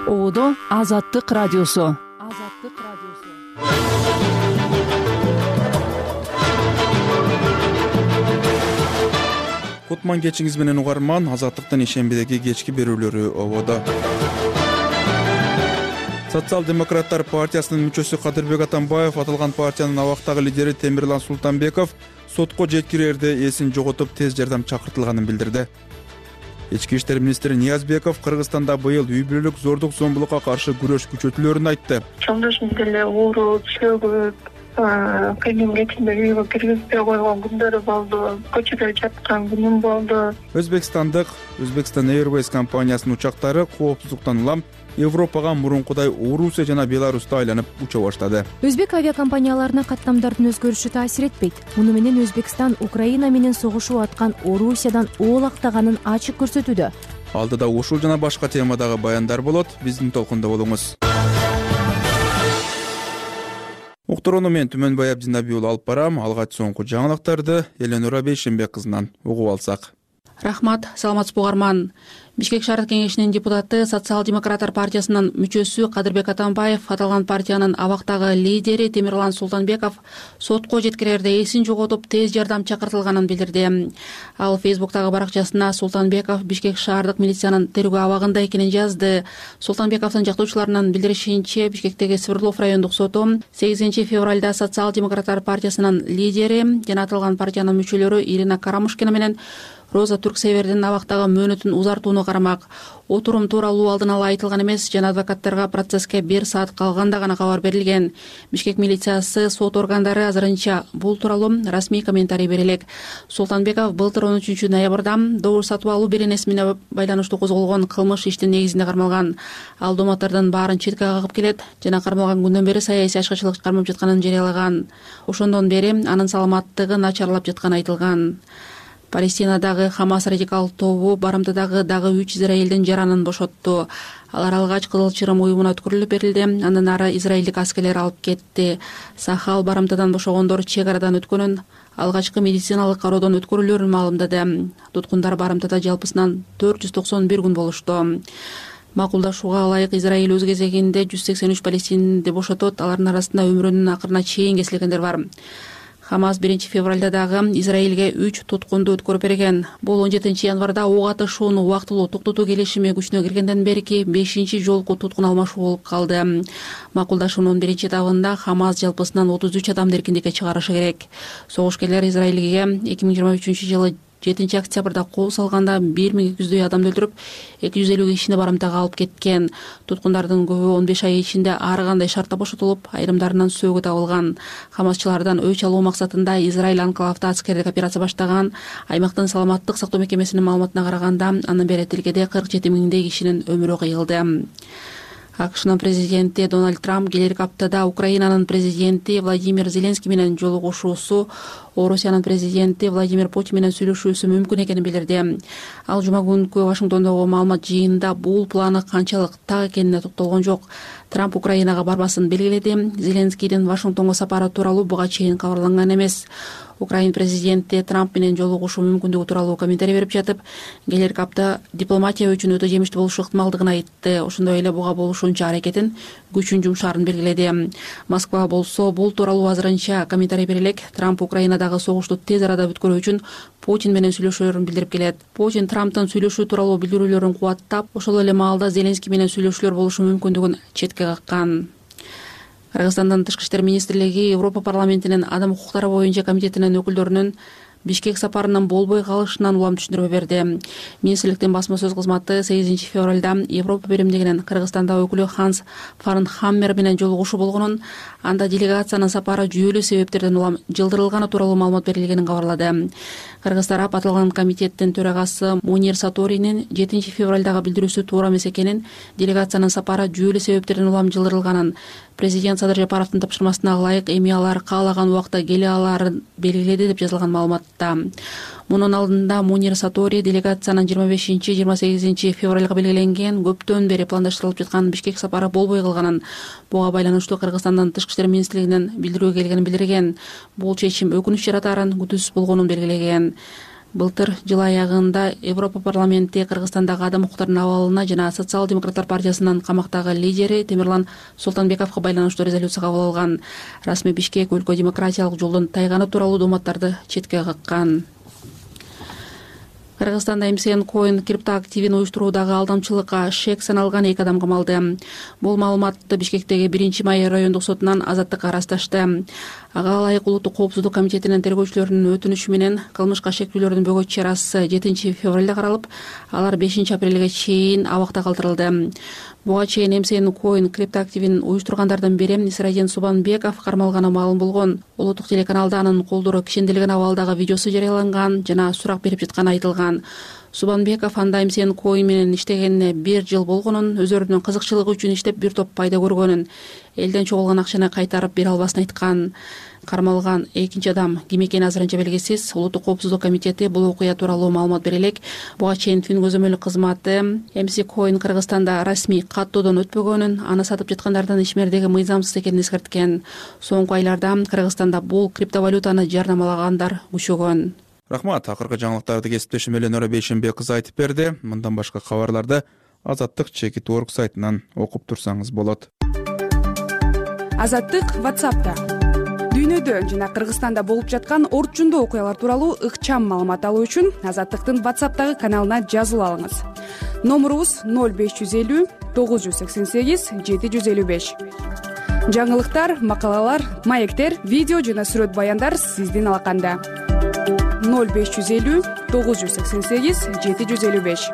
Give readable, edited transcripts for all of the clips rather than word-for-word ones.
Ободо Азаттык радиосу. Кутман кечиңиз менен угарман. Азаттыктын ишембидеги кечки берүүлөрү ободо. Социал-демократтар партиясынын мүчөсү Кадырбек Атамбаев аталган партиянын абактагы лидери Темирлан Султанбеков сотко жеткирерде эсин жоготуп тез жардам чакыртылганын билдирди. Ички иштер министри Ниязбеков Кыргызстанда быйыл үй-бүлөлүк зордук-зомбулукка каршы күрөш күчөтүлөөрүн айтты. Жолдошум деле ооруп, чөгүп, кыйын кечинде үйгө киргизбей койгон күндөрү болду. Көчөдө жаткан күнүм болду. Өзбекстан Airways компаниясынын учактары коопсуздуктан улам Европага мурункудай Орусия жана Беларуста айланып уча баштады. Өзбек авиакомпанияларына каттамдардын өзгөрүшү таасир этпейт. Муну менен Өзбекстан Украина менен согушуп аткан Орусиядан оолактаганын ачык көрсөтүүдө. Алдыда ушул жана башка темадагы баяндар болот. Биздин толкунда болуңуз. Уктурууну мен Түмөнбай Абдинаби уулу алып барам. Алгач соңку жаңылыктарды Эленора Бейшенбек кызынан угуп алсак. Рахмат, саламатсызбы угарман. Бишкек шаардык кеңешинин депутаты Социал-демократтар партиясынын мүчөсү Кадырбек Атамбаев аталган партиянын абактагы лидери Темирлан Султанбеков сотко жеткирерде эсин жоготуп тез жардам чакыртылганын билдирди. Ал Фейсбуктагы баракчасына Султанбеков Бишкек шаардык милициянын тергөө абагында экенин жазды. Султанбековдун жактоочуларынын билдиришинче, Бишкектеги Свердлов райондук соту 8 февралда Социал-демократтар партиясынын лидери жана аталган партиянын мүчөлөрү Ирина Карамушкина менен Роза Турксевердин абактагы мөөнөтүн узартууну карамак. Отурум тууралуу алдын ала айтылган эмес жана адвокаттарга процесске 1 саат калганда гана кабар берилген. Бишкек милициясы сот органдары азырынча бул тууралуу расмий комментарий бере элек. Султанбеков былтыр 13 ноябрда добуш сатып алуу беренеси менен байланыштуу козголгон кылмыш иштин негизинде кармалган. Ал домоттордун баарын четке кагып келет жана кармалган күндөн бери саясий ачкачылык кармап жатканын жарыялаган. Ошондон бери анын саламаттыгы начарлап жатканы айтылган. Палестинадагы Хамас радикал тобу Барымтадагы дагы 3 израилдин жаранын бошотту. Алар алгач Кызыл Чырым уюмуна өткөрүлүп берилди. Андан ары израилдик аскерлер алып кетти. Сахал Барымтадан бошогондор чек арадан өткөнүн, алгачкы медициналык кароодон өткөрүлөөрүн маалымдады. Туткундар Барымтада жалпысынан 491 күн болушту. Макулдашууга ылайык Израиль өз кезегинде 183 палестинди бошотот. Алардын арасында өмүрүнүн акырына чейин кесилгендер бар. Хамас 1 февралда дагы Израилге 3 туткунду өткөрүп берген. Бул 17 январда ок атышууну убактылуу токтотуу келишими күчүнө киргенден берки 5 жолку туткун алмашуу болуп калды. Макулдашуунун 1 этабында Хамас жалпысынан 33 адамды эркиндикке чыгарышы керек. Согушкерлер Израилге 2023-жылы 7 октябрда кол салганда 1200 адамды өлтүрүп, 250 кишини Барымтага алып кеткен. Туткундардын көбү 15 ай ичинде ар кандай шартта бошотулуп, айрымдарынан сөөгү табылган. Хамасчылардан өч алуу максатында Израиль анклавда аскердик операция баштаган. Аймактын саламаттык сактоо мекемесинин маалыматына караганда, андан бери тилкеде 47 миңдей кишинин өмүрү кыйылды. АКШнын президенти Дональд Трамп келерки аптада Украинанын президенти Владимир Зеленский менен жолугушуусу, Орусиянын президенти Владимир Путин менен сүйлөшүүсү мүмкүн экенин билдирди. Ал жума күнкү Вашингтондогу маалымат жыйынында бул планы канчалык так экенине токтолгон жок. Трамп Украинага барбасын белгиледи. Зеленскийдин Вашингтонго сапары тууралуу буга чейин кабарланган эмес. Украин президенти Трамп менен жолугушуу мүмкүндүгү тууралуу комментарий берип жатып, келерки апта дипломатия үчүн өтө жемиштүү болушу ыктымалдыгын айтты. Ошондой эле буга болушунча аракетин күчүн жумшаарын белгиледи. Москва болсо бул тууралуу азырынча комментарий бере элек. Трамп Украинадагы согушту тез арада бүткөрүү үчүн Путин менен сүйлөшөөрүн билдирип келет. Путин Трамптын сүйлөшүү тууралуу билдирүүлөрүн кубаттап, ошол эле маалда Зеленский менен сүйлөшүүлөр болушу мүмкүндүгүн четке каккан. Кыргызстандын Тышкы иштер министрлиги Европа парламентинин адам укуктары боюнча комитетинин өкүлдөрүнүн Бишкек сапарынын болбой калышынан улам түшүндүрмө берди. Министрликтин басма сөз кызматы 8 февралда Европа биримдигинин Кыргызстанда өкүлү Ханс Фарнхаммер менен жолугушуу болгонун, анда делегациянын сапары жүйөлүү себептерден улам жылдырылганы тууралуу маалымат берилгенин кабарлады. Кыргыз тарап аталган комитеттин төрагасы Мунир Саторинин 7 февралдагы билдирүүсү туура эмес экенин, делегациянын сапары жүйөлүү себептерден улам жылдырылганын, президент Садыр Жапаровдун тапшырмасына ылайык эми алар каалаган убакта келе алаарын белгиледи деп жазылган маалыматта. Мунун алдында Мунир Сатори делегациянын 25-28 февралга белгиленген көптөн бери пландаштырылып жаткан Бишкек сапары болбой калганын, буга байланыштуу Кыргызстандын Тышкы иштер министрлигинен билдирүү келгенин билдирген. Бул чечим өкүнүч жаратаарын, күтүүсүз болгонун белгилеген. Былтыр жыл аягында Европа парламенти Кыргызстандагы адам укуктарынын абалына жана Социал-демократтар партиясынын камактагы лидери Темирлан Султанбековго байланыштуу резолюция кабыл алган. Расмий Бишкек өлкө демократиялык жолдон тайганы тууралуу дооматтарды четке каккан. Кыргызстанда МСН Coin криптоактивин уюштуруудагы алдамчылыкка шек саналган 2 адам камалды. Бул маалыматты Бишкектеги 1-май райондук сотунан Азаттыкка ырасташты. Ага ылайык Улуттук коопсуздук комитетинин тергөөчүлөрүнүн өтүнүшү менен кылмышка шектүүлөрдүн бөгөт чарасы 7-февралда каралып, алар 5-апрелге чейин абакта калтырылды. Буга чейин МСН Coin криптоактивин уюштургандардын бири Исрадин Субанбеков кармалганы маалым болгон. Улуттук телеканалда анын колдору кишендилген абалдагы видеосу жарыяланган жана сурак берип жатканы айтылган. Субанбеков анда МСН Coin менен иштегенине 1 жыл болгонун, өздөрүнүн кызыкчылыгы үчүн иштеп бир топ пайда көргөнүн, элден чогулган акчаны кайтарып бере албасын айткан. Кармалган экинчи адам ким экени азырынча белгисиз. Улуттук коопсуздук комитети бул окуя тууралуу маалымат бере элек. Буга чейин Түн көзөмөлүк кызматы МС Coin Кыргызстанда расмий каттоодон өтпөгөнүн, аны сатып жаткандардын ишмердиги мыйзамсыз экенин эскерткен. Соңку айларда Кыргызстанда бул криптовалютаны жарнамалагандар күчөгөн. Рахмат. Акыркы жаңылыктарды кесиптешим Эленора Бейшенбек кызы айтып берди. Мындан башка кабарларды Азаттык Чекит.org сайтынан окуп турсаңыз болот. Азаттык WhatsApp'та дүйнөдө жана Кыргызстанда болуп жаткан орчундуу окуялар тууралуу ыкчам маалымат алуу үчүн Азаттыктын WhatsApp'тагы каналына жазылып алыңыз. Номурубуз 0550 988 755. Жаңылыктар, макалалар, маектер, видео жана сүрөт баяндар сиздин алаканда. 0550 988 755.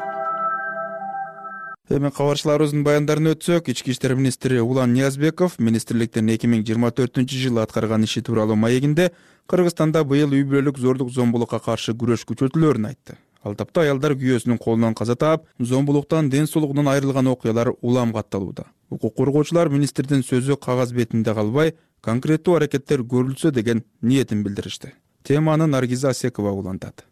Эми кабарчыларыбыздын баяндарын өтсөк, Ички иштер министри Улан Ниязбеков министрликтин 2024-жылы аткарган иши тууралуу маегинде Кыргызстанда быйыл үй бүлөлүк зордук зомбулукка каршы күрөш күчөтүлөөрүн айтты. Ал тапта аялдар күйөөсүнүн колунан каза таап, зомбулуктан ден соолугунан айрылган окуялар улам катталууда. Укук коргоочулар министрдин сөзү кагаз бетинде калбай, конкреттүү аракеттер көрүлсө деген ниетин билдиришти. Теманы Наргиза Асекова улантат.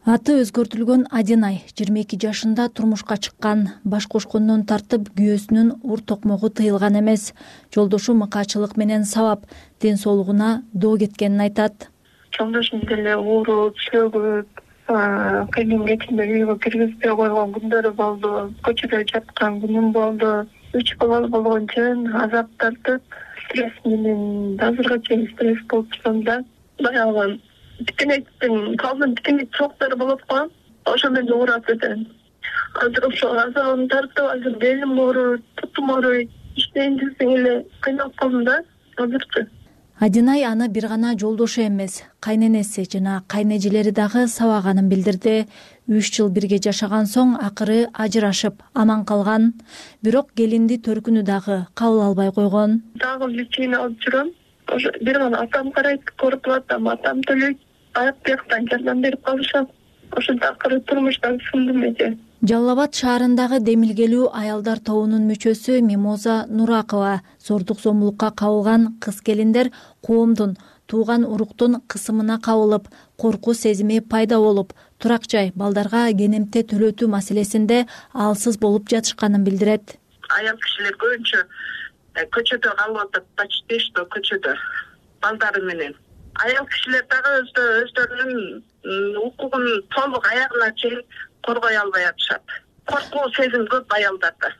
Аты өзгөртүлгөн Адинай 22 жашында турмушка чыккан. Баш кошкондон тартып күйөөсүнүн ур токмогу тыйылган эмес. Жолдошу мыкаачылык менен сабап ден соолугуна доо кеткенин айтат. Жолдошум деле ооруп, чөгүп, кабинетиме үйгө киргизбей койгон күндөрү болду. Көчөдө жаткан күнүм болду. 3 бала болгончун азап тартып, стресс менен азыркы чейин стресс болуп жатам. Баягы тикенектин калдын тикенек чоктор болуп калган. Ошо менен ооруп кетем. Азыр ошо азабын тартып, азыр белим ооруйт, бутум ооруйт. Иштейин десең эле кыйналып калдым да азырчы. Адинай аны бир гана жолдошу эмес, кайненеси жана кайнежелери дагы сабаганын билдирди. 3 жыл бирге жашаган соң акыры ажырашып аман калган. Бирок келинди төркүнү дагы кабыл албай койгон. Дагы лечение алып жүрөм. Ошо бир гана атам карайт, көрүп атам, атам төлөйт. Аяк бияктан жардам берип калышат. Ошонто акыры турмуштан сындым эже. Жалал Абад шаарындагы демилгелүү аялдар тобунун мүчөсү Мимоза Нуракова зордук зомбулукка кабылган кыз келиндер коомдун, тууган уруктун кысымына кабылып, коркуу сезими пайда болуп, турак жай, балдарга кенемте төлөтүү маселесинде алсыз болуп жатышканын билдирет. Аял кишилер көбүнчө көчөдө калып атат, почти что көчөдө балдары менен. Аял кишилер дагы өздөрүнүн укугун толук аягына чейин коргой албай атышат. Коркуу сезим көп аялдарда.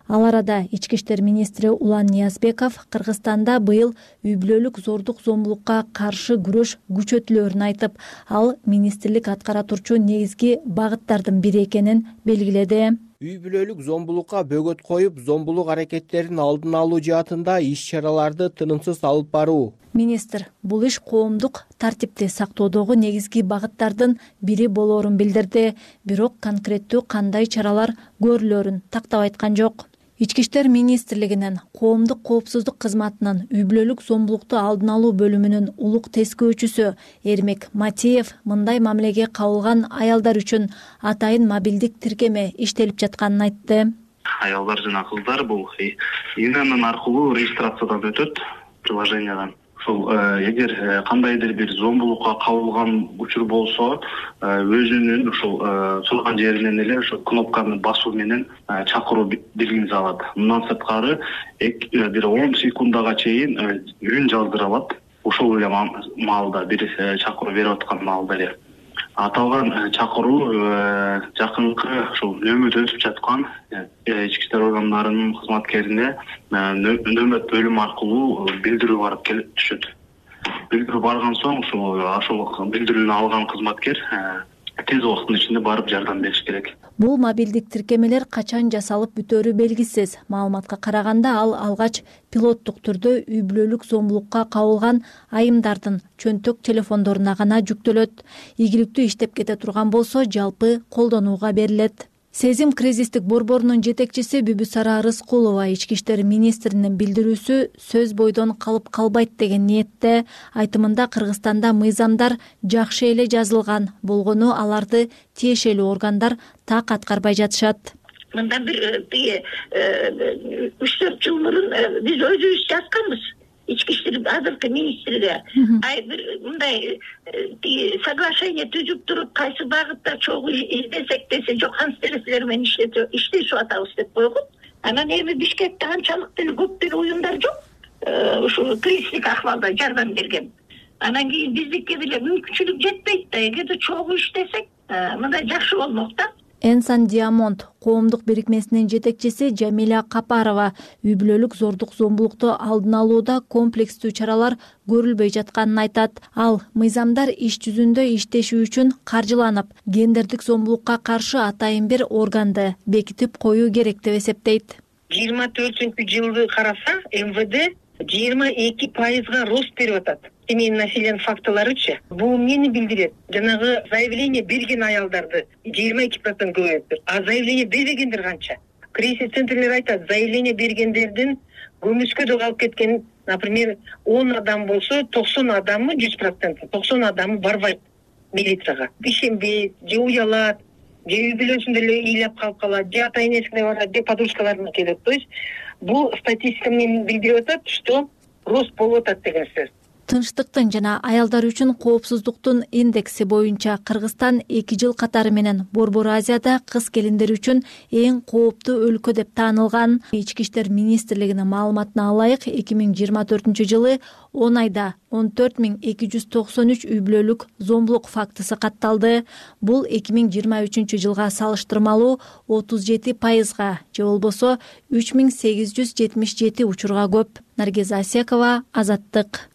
Ал арада Ички иштер министри Улан Ниязбеков Кыргызстанда быйыл үй бүлөлүк зордук зомбулукка каршы күрөш күчөтүлөөрүн айтып, ал министрлик аткара турчу негизги багыттардын бири экенин белгиледи. Үй бүлөлүк зомбулукка бөгөт коюп, зомбулук аракеттерин алдын алуу жаатында иш-чараларды тынымсыз алып баруу. Министр бул иш коомдук тартипти сактоодогу негизги багыттардын бири болоорун билдирди, бирок конкреттүү кандай чаралар көрүлөөрүн тактап айткан жок. Ички иштер министрлигинин коомдук коопсуздук кызматынын үй бүлөлүк зомбулукту алдын алуу бөлүмүнүн улук тескөөчүсү Эрмек Матиев мындай мамилеге кабылган аялдар үчүн атайын мобилдик тиркеме иштелип жатканын айтты. Аялдар жана кыздар бул ИНН аркылуу регистрациядан өтөт, приложениядан. ушул эгер кандайдыр бир зомбулукка кабылган учур болсо өзүнүн ушул турган жеринен эле ошол кнопканы басуу менен чакыруу белгиси алат. Мындан сырткары бир 10 секундага чейин үн жаздыра алат. Ошол эле маалда бир чакыруу берип аткан маалда эле аталган чакыруу жакынкы ушул нөмөт өтүп жаткан ички иштер органдарынын кызматкерине нөмөт бөлүм аркылуу билдирүү барып келип түшөт. Билдирүү барган соң ошол билдирүүнү алган кызматкер тез убакыттын ичинде барып жардам бериш керек. Бул мобилдик тиркемелер качан жасалып бүтөөрү белгисиз. Маалыматка караганда ал алгач пилоттук түрдө үй бүлөлүк зомбулукка кабылган айымдардын чөнтөк телефондоруна гана жүктөлөт. Ийгиликтүү иштеп кете турган болсо жалпы колдонууга берилет. Сезим кризистик борборунун жетекчиси Бүбүсара Рыскулова ички иштер министринин билдирүүсү сөз бойдон калып калбайт деген ниетте. Айтымында Кыргызстанда мыйзамдар жакшы эле жазылган болгону аларды тиешелүү органдар так аткарбай жатышат. Мындан бир 3-4 жыл мурун биз өзүбүз жазганбыз. Ички иштер азыркы министрге бир мындай соглашение түзүп туруп кайсы багытта чогуу издесек десе жок канцлерлер менен иштешип атабыз деп койгон. Анан эми Бишкекте анчалык деле көп деле уюмдар жок. Ушул кризистик акыбалда жардам берген. Анан кийин биздикке деле мүмкүнчүлүк жетпейт да. Эгерде чогуу иштесек мындай жакшы болмок да. Энсан Диамонд коомдук бирикмесинин жетекчиси Жамиля Капарова үй бүлөлүк зордук зомбулукту алдын алууда комплекстүү чаралар көрүлбөй жатканын айтат. Ал мыйзамдар иш жүзүндө иштеши үчүн каржыланып, гендердик зомбулукка каршы атайын бир органды бекитип коюу керек деп эсептейт. 24-жылды караса МВД 22% рост берип атат. Семейный насилие фактыларычы. Бул эмнени билдирет? Жанагы заявление берген аялдарды 22% көбөйөптүр. А заявление бербегендер канча? Кризис центрлер айтат, заявление бергендердин көмүскөдө калып кеткен, например, 10 адам болсо, 90 адамы 100%, 90 адамы барбайт милицияга. Ишенбейт, же уялат, же үй бүлөсүндө эле ыйлап калып калат, же ата энесине барат, же подружкаларына келет. То есть бул статистика менен билдирип атат, что рост болуп атат деген сөз. Тынчтыктын жана аялдар үчүн коопсуздуктун индекси боюнча Кыргызстан 2 жыл катары менен Борбор Азияда кыз келиндер үчүн эң кооптуу өлкө деп таанылган. Ички иштер министрлигинин маалыматына алайык, 2024-жылы 10 айда 14293 үй бүлөлүк зомбулук фактысы катталды. Бул 2023-жылга салыштырмалуу 37%, же болбосо 3877 учурга көп. Наргиза Асекова, Азаттык.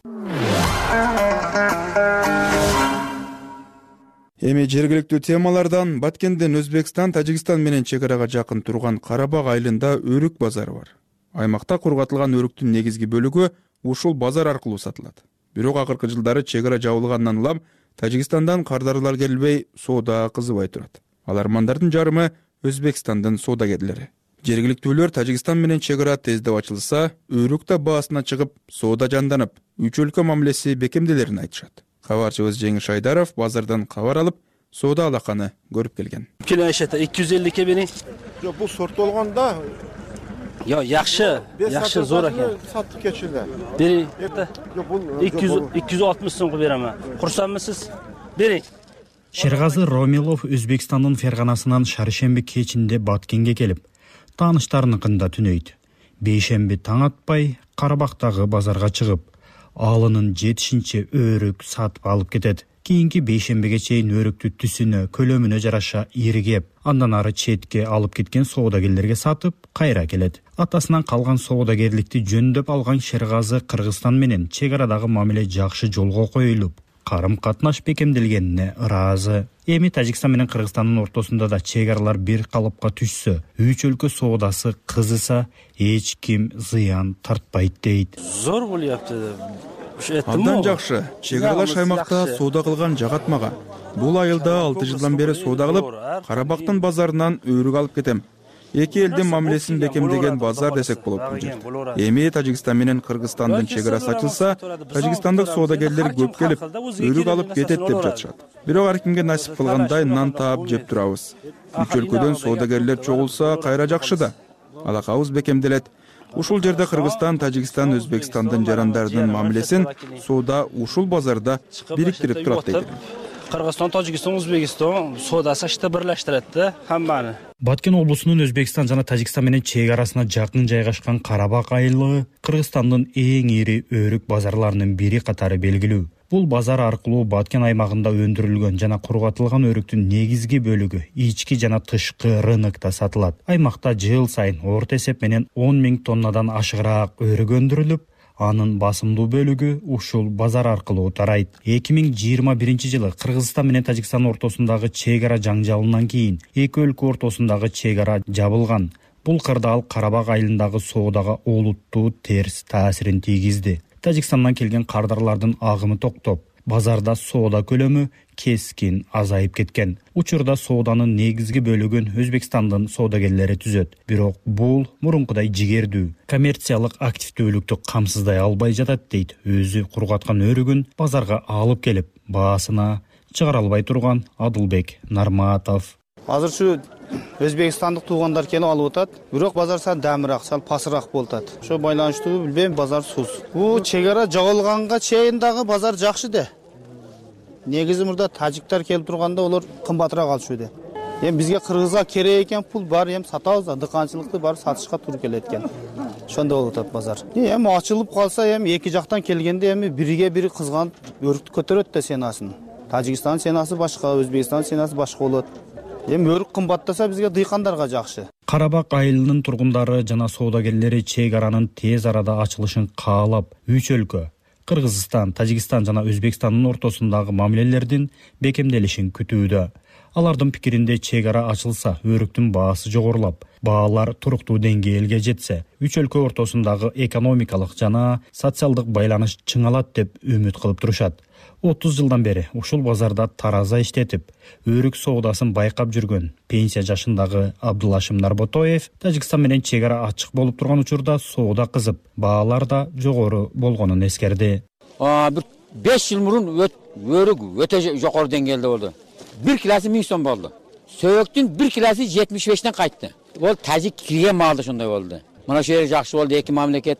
Эми жергиликтүү темалардан Баткенден Өзбекстан, Тажикстан менен чек арага жакын турган Карабак айылында өрүк базары бар. Аймакта кургатылган өрүктүн негизги бөлүгү ушул базар аркылуу сатылат. Бирок акыркы жылдары чек ара жабылгандан улам Тажикстандан кардарлар келбей, соода кызыбай турат. Алармандардын жарымы Өзбекстандын соодагерлери. Жергиликтүүлөр Тажикстан менен чек ара тездеп ачылса, өрүк да баасына чыгып, соода жанданып, үч өлкө мамилеси бекемделерин айтышат. Кабарчыбыз Жеңиш Айдаров базардан кабар алып, соода алаканы көрүп келген. Кило айшата 250 бери. Жок, бул сорт болгондо жакшы зор экен. Саттык кечилди. Бери. Жок, бул 260 сомго берем. Курсанмысыз? Бери. Шергазы Ромилов Өзбекстандын Ферганасынан шаршемби кечинде Баткенге келип, тааныштарыныкында түнөйт. Бейшемби таң атпай Карабактагы базарга чыгып, алынын жетишинче өрүк сатып алып кетет. Кийинки бейшембиге чейин өрүктү түсүнө, көлөмүнө жараша иригеп, андан ары четке алып кеткен соодагерлерге сатып, кайра келет. Атасынан калган соодагерликти жөндөп алган Шергазы Кыргызстан менен чек арадагы мамиле жакшы жолго коюлуп, карым-катнаш бекемделгенине ыраазы. Эми Тажикстан менен Кыргызстандын ортосунда да чек аралар бир калыпка түшсө, үч өлкө соодасы кызыса, эч ким зыян тартпайт дейт. Зор болупту. Абдан жакшы. Чек аралаш аймакта соода кылган жагатмага. Бул айылда 6 жылдан бери соода кылып, Карабактын базарынан өрүк алып кетем. Эки элдин мамилесин бекемдеген базар десек болот бул жер. Эми Тажикстан менен Кыргызстандын чек арасы ачылса, тажикстандык соодагерлер көп келип, өрүк алып кетет деп жатышат. Бирок ар кимге насип кылгандай нан таап жеп турабыз. Үч өлкөдөн соодагерлер чогулса, кайра жакшы да. Алакабыз бекемделет. Ушул жерде Кыргызстан, Тажикстан, Өзбекстандын жарандарынын мамилесин соода ушул базарда бириктирип турат дейт. Кыргызстан, Тажикстан, Өзбекстан соодасы ашты бирлештирет да хамманы. Баткен облусунун Өзбекстан жана Тажикстан менен чек арасына жакын жайгашкан Карабак айылы Кыргызстандын эң ири өрүк базарларынын бири катары белгилүү. Бул базар аркылуу Баткен аймагында өндүрүлгөн жана кургатылган өрүктүн негизги бөлүгү ички жана тышкы рынокто сатылат. Аймакта жыл сайын орто эсеп менен 10 000 тоннадан ашыгыраак өрүк өндүрүлүп, анын басымдуу бөлүгү ушул базар аркылуу тарайт. 2021-жылы Кыргызстан менен Тажикстан ортосундагы чек ара жаңжалынан кийин эки өлкө ортосундагы чек ара жабылган. Бул кырдаал Карабак айылындагы соодага олуттуу терс таасирин тийгизди. Тажикстандан келген кардарлардын агымы токтоп, базарда соода көлөмү кескин азайып кеткен. Учурда сооданын негизги бөлүгүн Өзбекстандын соодагерлери түзөт. Бирок бул мурункудай жигердүү, коммерциялык активдүүлүктү камсыздай албай жатат дейт өзү кургаткан өрүгүн базарга алып келип, баасына чыгара албай турган Адылбек Нарматов. Азыр ушу Өзбекстандык туугандар келип алып атат. Бирок базар сал дамыраак, сал пасыраак болуп атат. Ошо байланыштуу билбейм, базар сус. Бул чек ара жабылганга чейин дагы базар жакшы да. Негизи мурда тажиктер келип турганда олар кымбатыраак алышууда. Эми бизге Кыргызга керек экен пул бар, эми сатабыз, дыканчылыкты бар сатышка туура келет экен. Ошондой болуп атат базар. Эми ачылып калса, эми эки жактан келгенде эми бириге бири кызганып өрүктү көтөрөт да сенасын. Тажикстан сенасы башка, Өзбекстан сенасы башка болот. Эми өрүк кымбаттаса бизге дыйкандарга жакшы. Карабак айылынын тургундары жана соодагерлери чек аранын тез арада ачылышын каалап, үч өлкө Кыргызстан, Тажикстан жана Өзбекстандын ортосундагы мамилелердин бекемделишин күтүүдө. Алардын пикиринде чек ара ачылса, өрүктүн баасы жогорулап, баалар туруктуу деңгээлге жетсе, үч өлкө ортосундагы экономикалык жана социалдык байланыш чыңалат деп үмүт кылып турушат. 30 жылдан бери ушул базарда тараза иштетип, өрүк соодасын байкап жүргөн пенсия жашындагы Абдулашим Нарботоев Тажикстан менен чек ара ачык болуп турган учурда соода кызып, баалар да жогору болгонун эскерди. Бир 5 жыл мурун өрүк өтө жогору деңгээлде болду. 1 килосы 1000 сом болду. Сөйөктүн 1 килосы 75тен кайтты. Ол тажик кирген маалда ошондой болду. Мына ошо жер жакшы болду, эки мамлекет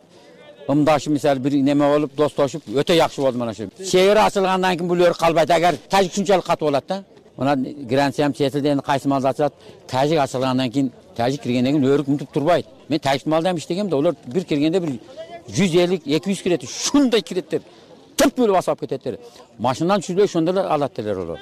ымдашып, мисалы бир неме болуп, достошуп, өтө жакшы болду мына ошо. Чек ара ачылгандан кийин бул өрүк калбайт, агар тажик ушунчалык катуу болот да. Мына граница четилден кайсы малды ачылат, тажик ачылгандан кийин, тажик киргенден кийин өрүк мынтип турбайт. Мен тажик малда иштегем да, олар бир киргенде бир 150-200 кирет, ушундай киреттер. Тып бөлүп басып кететтер. Машинадан түшүрбөй ошондой алат делер олар.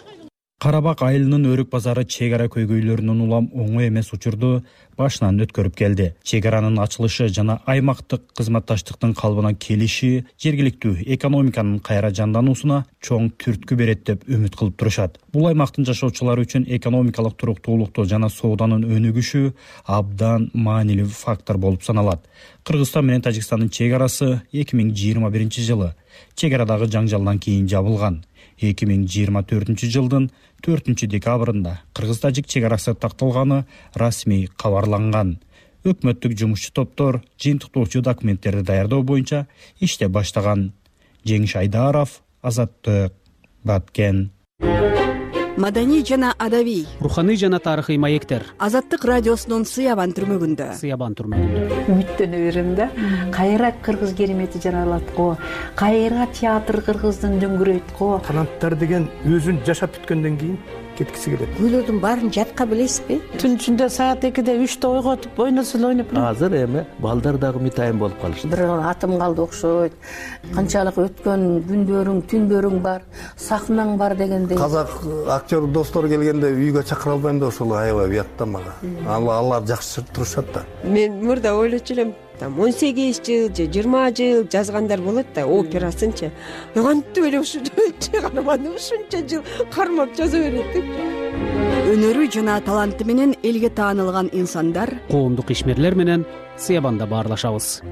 Карабак айылынын өрүк базары чек ара көйгөйлөрүнүн улам оңой эмес учурду башынан өткөрүп келди. Чек аранын ачылышы жана аймактык кызматташтыктын калыбына келиши жергиликтүү экономиканын кайра жандануусуна чоң түрткү берет деп үмүт кылып турушат. Бул аймактын жашоочулары үчүн экономикалык туруктуулукту жана сооданын өнүгүшү абдан маанилүү фактор болуп саналат. Кыргызстан менен Тажикстандын чек арасы 2021-жылы чек арадагы жаңжалдан кийин жабылган. 2024-жылдын 4-декабрында Кыргыз-Тажик чек арасы такталганы расмий кабарланган. Өкмөттүк жумушчу топтор жыйынтыктоочу документтерди даярдоо боюнча иштеп баштаган. Жеңиш Айдаров, Азаттык, Баткен. Маданий жана адабий, руханий жана тарыхый маектер. Азаттык радиосунун Сыябан түрмөгүндө. Үмүттөнө берем да. Кайра кыргыз керемети жаралат го. Кайра театр кыргыздын дөңгүрөйт го. Таланттар деген өзүн жашап бүткөндөн кийин кеткиси келет. Күйлөрдүн баарын жатка билесизби? Түн ичинде саат 2-де 3-те ойготуп ойносун ойноп. Азыр эми балдар дагы митайым болуп калышты. Бир атым калды окшойт. Канчалык өткөн күндөрүң, түндөрүң бар, сахнаң бар дегендей. Казак актер достор келгенде үйгө чакыра албайм да, ошол аябай уят да мага. Алар жакшы турушат да. Мен мурда ойлочу элем, 18 жыл же 20 жыл жазгандар болот да, операсынчы. Кантип эле ушунча каарманды ушунча жыл кармап жаза берет деп. Өнөрү жана таланты менен элге таанылган инсандар, коомдук ишмерлер менен Сыябанда баарлашабыз.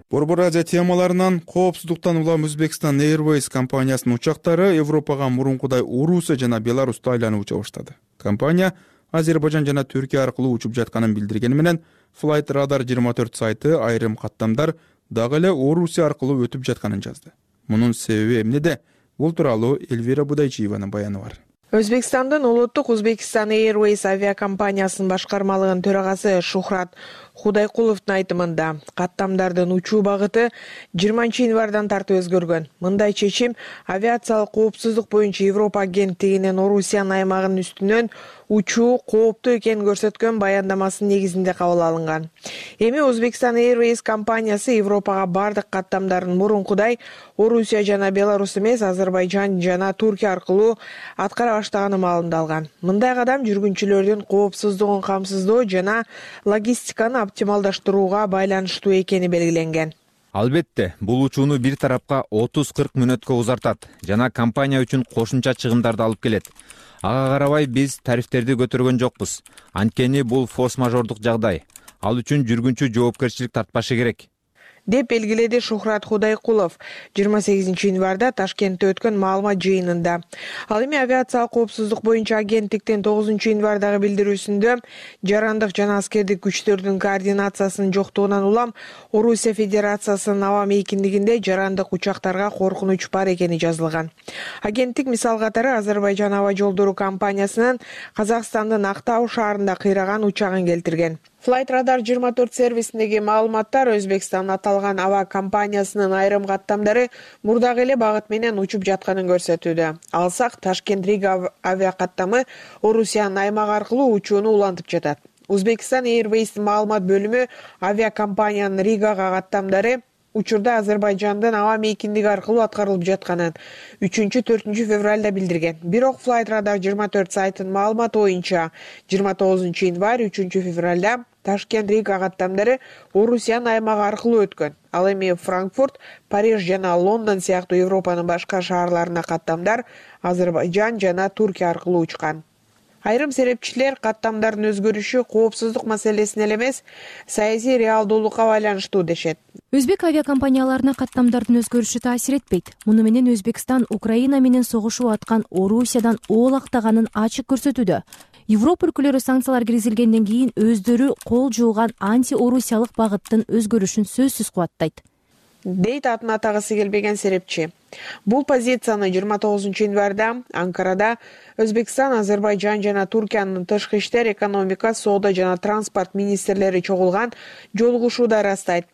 Борбор Азия темаларынан коопсуздуктан улам Өзбекстан Airways компаниясынын учактары Европага мурункудай Орусия жана Беларусьта айланып уча баштады. Компания Азербайжан жана Түркия аркылуу учуп жатканын билдиргени менен Flight Radar 24 сайты айрым каттамдар дагы эле Орусия аркылуу өтүп жатканын жазды. Мунун себеби эмнеде? Бул тууралуу Эльвира Будайчиеванын баяны бар. Өзбекстандын улуттук Узбекистан Airways авиакомпаниясынын башкармалыгынын төрагасы Шухрат Худайкуловдун айтымында каттамдардын учуу багыты 20 январдан тартып өзгөргөн. Мындай чечим авиациялык коопсуздук боюнча Европа агенттигинин Орусиянын аймагынын үстүнөн учуу кооптуу экенин көрсөткөн баяндамасынын негизинде кабыл алынган. Эми Узбекистан Airways компаниясы Европага бардык каттамдарын мурункудай Орусия жана Беларусь эмес, Азербайжан жана Туркия аркылуу аткара баштаганы маалымда алган. Мындай кадам жүргүнчүлөрдүн коопсуздугун камсыздоо жана логистиканы оптималдаштырууга байланыштуу экени белгиленген. Албетте, бул учууну бир тарапка 30-40 мүнөткө узартат жана компания үчүн кошумча чыгымдарды алып келет. Ага карабай биз тарифтерди көтөргөн жокпуз. Анткени бул форс-мажордук жагдай. Ал үчүн жүргүнчү жоопкерчилик тартпашы керек, деп белгиледи Шухрат Худайкулов 28 январда Ташкентте өткөн маалымат жыйынында. Ал эми авиациялык коопсуздук боюнча агенттиктин 9 январдагы билдирүүсүндө жарандык жана аскердик күчтөрдүн координациясынын жоктугунан улам Орусия Федерациясынын аба мейкиндигинде жарандык учактарга коркунуч бар экени жазылган. Агенттик мисал катары Азербайжан аба жолдору компаниясынын Казакстандын Актау шаарында кыйраган учагын келтирген. Flight Radar 24 сервисиндеги маалыматтар Өзбекстан аталган аба компаниясынын айрым каттамдары мурдагы эле багыт менен учуп жатканын көрсөтүүдө. Алсак Ташкент-Рига авиакаттамы Орусиянын аймагы аркылуу учууну улантып жатат. Узбекистан Airways маалымат бөлүмү авиакомпаниянын Ригага каттамдары учурда Азербайжандын аба мейкиндиги аркылуу аткарылып жатканын 3-4 февралда билдирген. Бирок Flight Radar 24 сайтынын маалыматы боюнча 29 январь 3 февралда Ташкент-Рига каттамдары Орусиянын аймагы аркылуу өткөн. Ал эми Франкфурт, Париж жана Лондон сыяктуу Европанын башка шаарларына каттамдар Азербайжан жана Туркия аркылуу учкан. Айрым серепчилер каттамдардын өзгөрүшү коопсуздук маселесине эле эмес, саясий реалдуулукка байланыштуу дешет. Өзбек авиакомпанияларына каттамдардын өзгөрүшү таасир этпейт. Муну менен Өзбекстан Украина менен согушуп аткан Орусиядан оолактаганын ачык көрсөтүүдө. Европа өлкөлөрү санкциялар киргизилгенден кийин өздөрү кол жууган анти-орусиялык багыттын өзгөрүшүн сөзсүз кубаттайт, дейт атын атагысы келбеген серепчи. Бул позицияны 29 январда Анкарада Өзбекстан, Азербайжан жана Туркиянын тышкы иштер, экономика, соода жана транспорт министрлери чогулган жолугушууда ырастайт.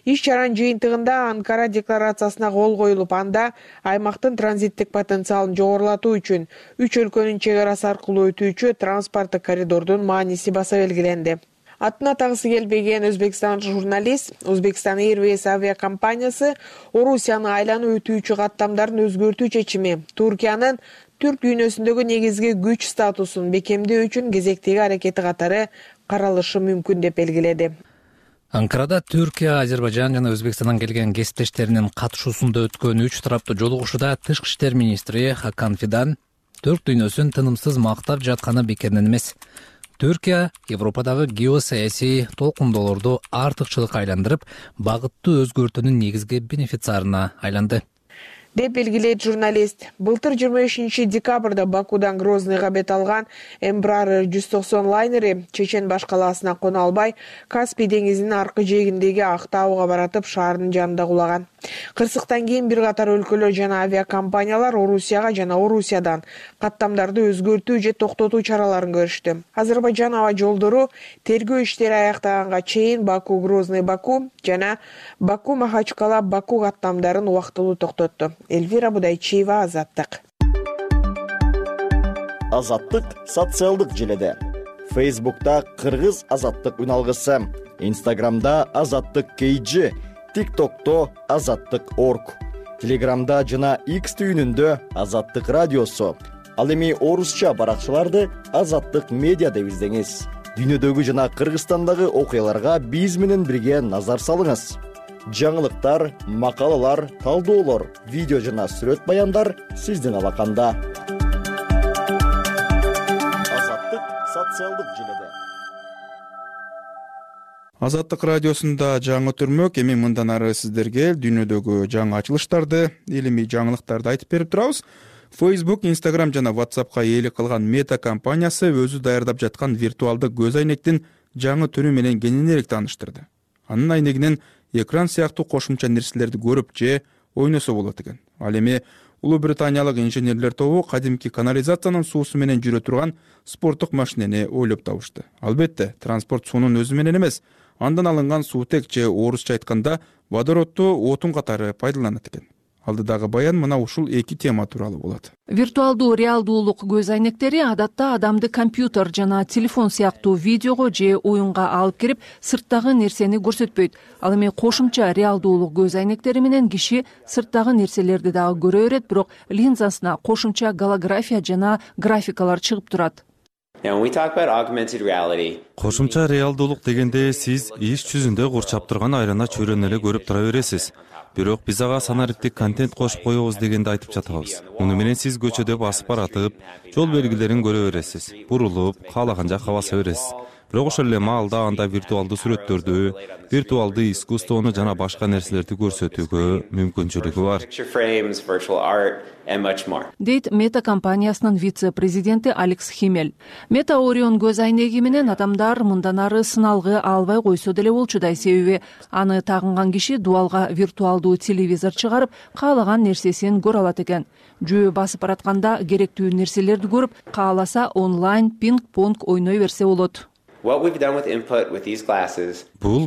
Иш-чаранын жыйынтыгында Анкара декларациясына кол коюлуп, анда аймактын транзиттик потенциалын жогорулатуу үчүн 3 өлкөнүн чек арасы аркылуу өтүүчү транспорттук коридордун мааниси баса белгиленди. Атын атагысы келбеген Өзбекстан журналист Узбекистан Airways авиакомпаниясы Орусияны айланып өтүүчү каттамдарын өзгөртүү чечими Туркиянын түрк дүйнөсүндөгү негизги күч статусун бекемдөө үчүн кезектеги аракети катары каралышы мүмкүн деп белгиледи. Анкарада Түркия, Азербайжан жана Өзбекстандан келген кесиптештеринин катышуусунда өткөн 3 тараптуу жолугушууда тышкы иштер министри Хакан Фидан түрк дүйнөсүн тынымсыз мактап жатканы бекеринен эмес. Түркия Европадагы геосаясий толкундоолорду артыкчылыкка айландырып, багытты өзгөртүүнүн негизги бенефициарына айланды, деп белгилейт журналист. Былтыр 25 декабрда Бакудан Грозныйга бет алган Embraer 190 лайнери Чечен баш калаасына кона албай, Каспий деңизинин аркы жээгиндеги Актауга баратып шаардын жанында кулаган. Кырсыктан кийин бир катар өлкөлөр жана авиакомпаниялар Орусияга жана Орусиядан каттамдарды өзгөртүү же токтотуу чараларын көрүштү. Азербайжан аба жолдору тергөө иштери аяктаганга чейин Баку Грозный Баку жана Баку Махачкала Баку каттамдарын убактылуу токтотту. Эльвира Будайчиева, Азаттык. Азаттык социалдык желеде. Фейсбукта Кыргыз Азаттык үналгысы, Инстаграмда Азаттык KG, ТикТокто Азаттык.org, Телеграмда жана X түйүнүндө Азаттык радиосу. Ал эми орусча баракчаларды Азаттык медиа деп издеңиз. Дүйнөдөгү жана Кыргызстандагы окуяларга биз менен бирге назар салыңыз. Жаңылыктар, макалалар, талдоолор, видео жана сүрөт баяндар сиздин алаканда. Азаттык социалдык желеде. Азаттык радиосунда жаңы түрмөк. Эми мындан ары сиздерге дүйнөдөгү жаңы ачылыштарды, илимий жаңылыктарды айтып берип турабыз. Facebook, Instagram жана WhatsAppка ээлик кылган Meta компаниясы өзү даярдап жаткан виртуалдык көз айнектин жаңы түрү менен кеңинирээк тааныштырды. Анын айнегинен экран сыяктуу кошумча нерселерди көрүп же ойносо болот экен. Ал эми Улуу Британиялык инженерлер тобу кадимки канализациянын суусу менен жүрө турган спорттук машинени ойлоп табышты. Албетте, транспорт суунун өзү менен эмес, андан алынган суутек же орусча айтканда водородду отун катары пайдаланат экен. Алдыдагы баян мына ушул эки тема тууралуу болот. Виртуалдуу реалдуулук көз айнектери адатта адамды компьютер жана телефон сыяктуу видеого же оюнга алып кирип, сырттагы нерсени көрсөтпөйт. Ал эми кошумча реалдуулук көз айнектери менен киши сырттагы нерселерди дагы көрө берет, бирок линзасына кошумча голография жана графикалар чыгып турат. Кошумча реалдуулук дегенде сиз иш жүзүндө курчап турган айрана чөйрөнү эле көрүп тура бересиз. Бирок биз ага санариптик контент кошуп коебуз дегенди айтып жатабыз. Муну менен сиз көчөдө басып баратып, жол белгилерин көрө бересиз. Бурулуп, каалаган жакка баса бересиз. Бирок ошол эле маалда анда виртуалдуу сүрөттөрдү, виртуалдуу искусствону жана башка нерселерди көрсөтүүгө мүмкүнчүлүгү бар. Дейт Мета компаниясынын вице-президенти Алекс Химмель. Мета Орион көз айнеги менен адамдар мындан ары сыналгы албай койсо деле болчудай, себеби аны тагынган киши дуалга виртуалдуу телевизор чыгарып, каалаган нерсесин көрө алат экен. Жөө басып баратканда керектүү нерселерди көрүп, кааласа онлайн пинг-понг ойной берсе болот. Бул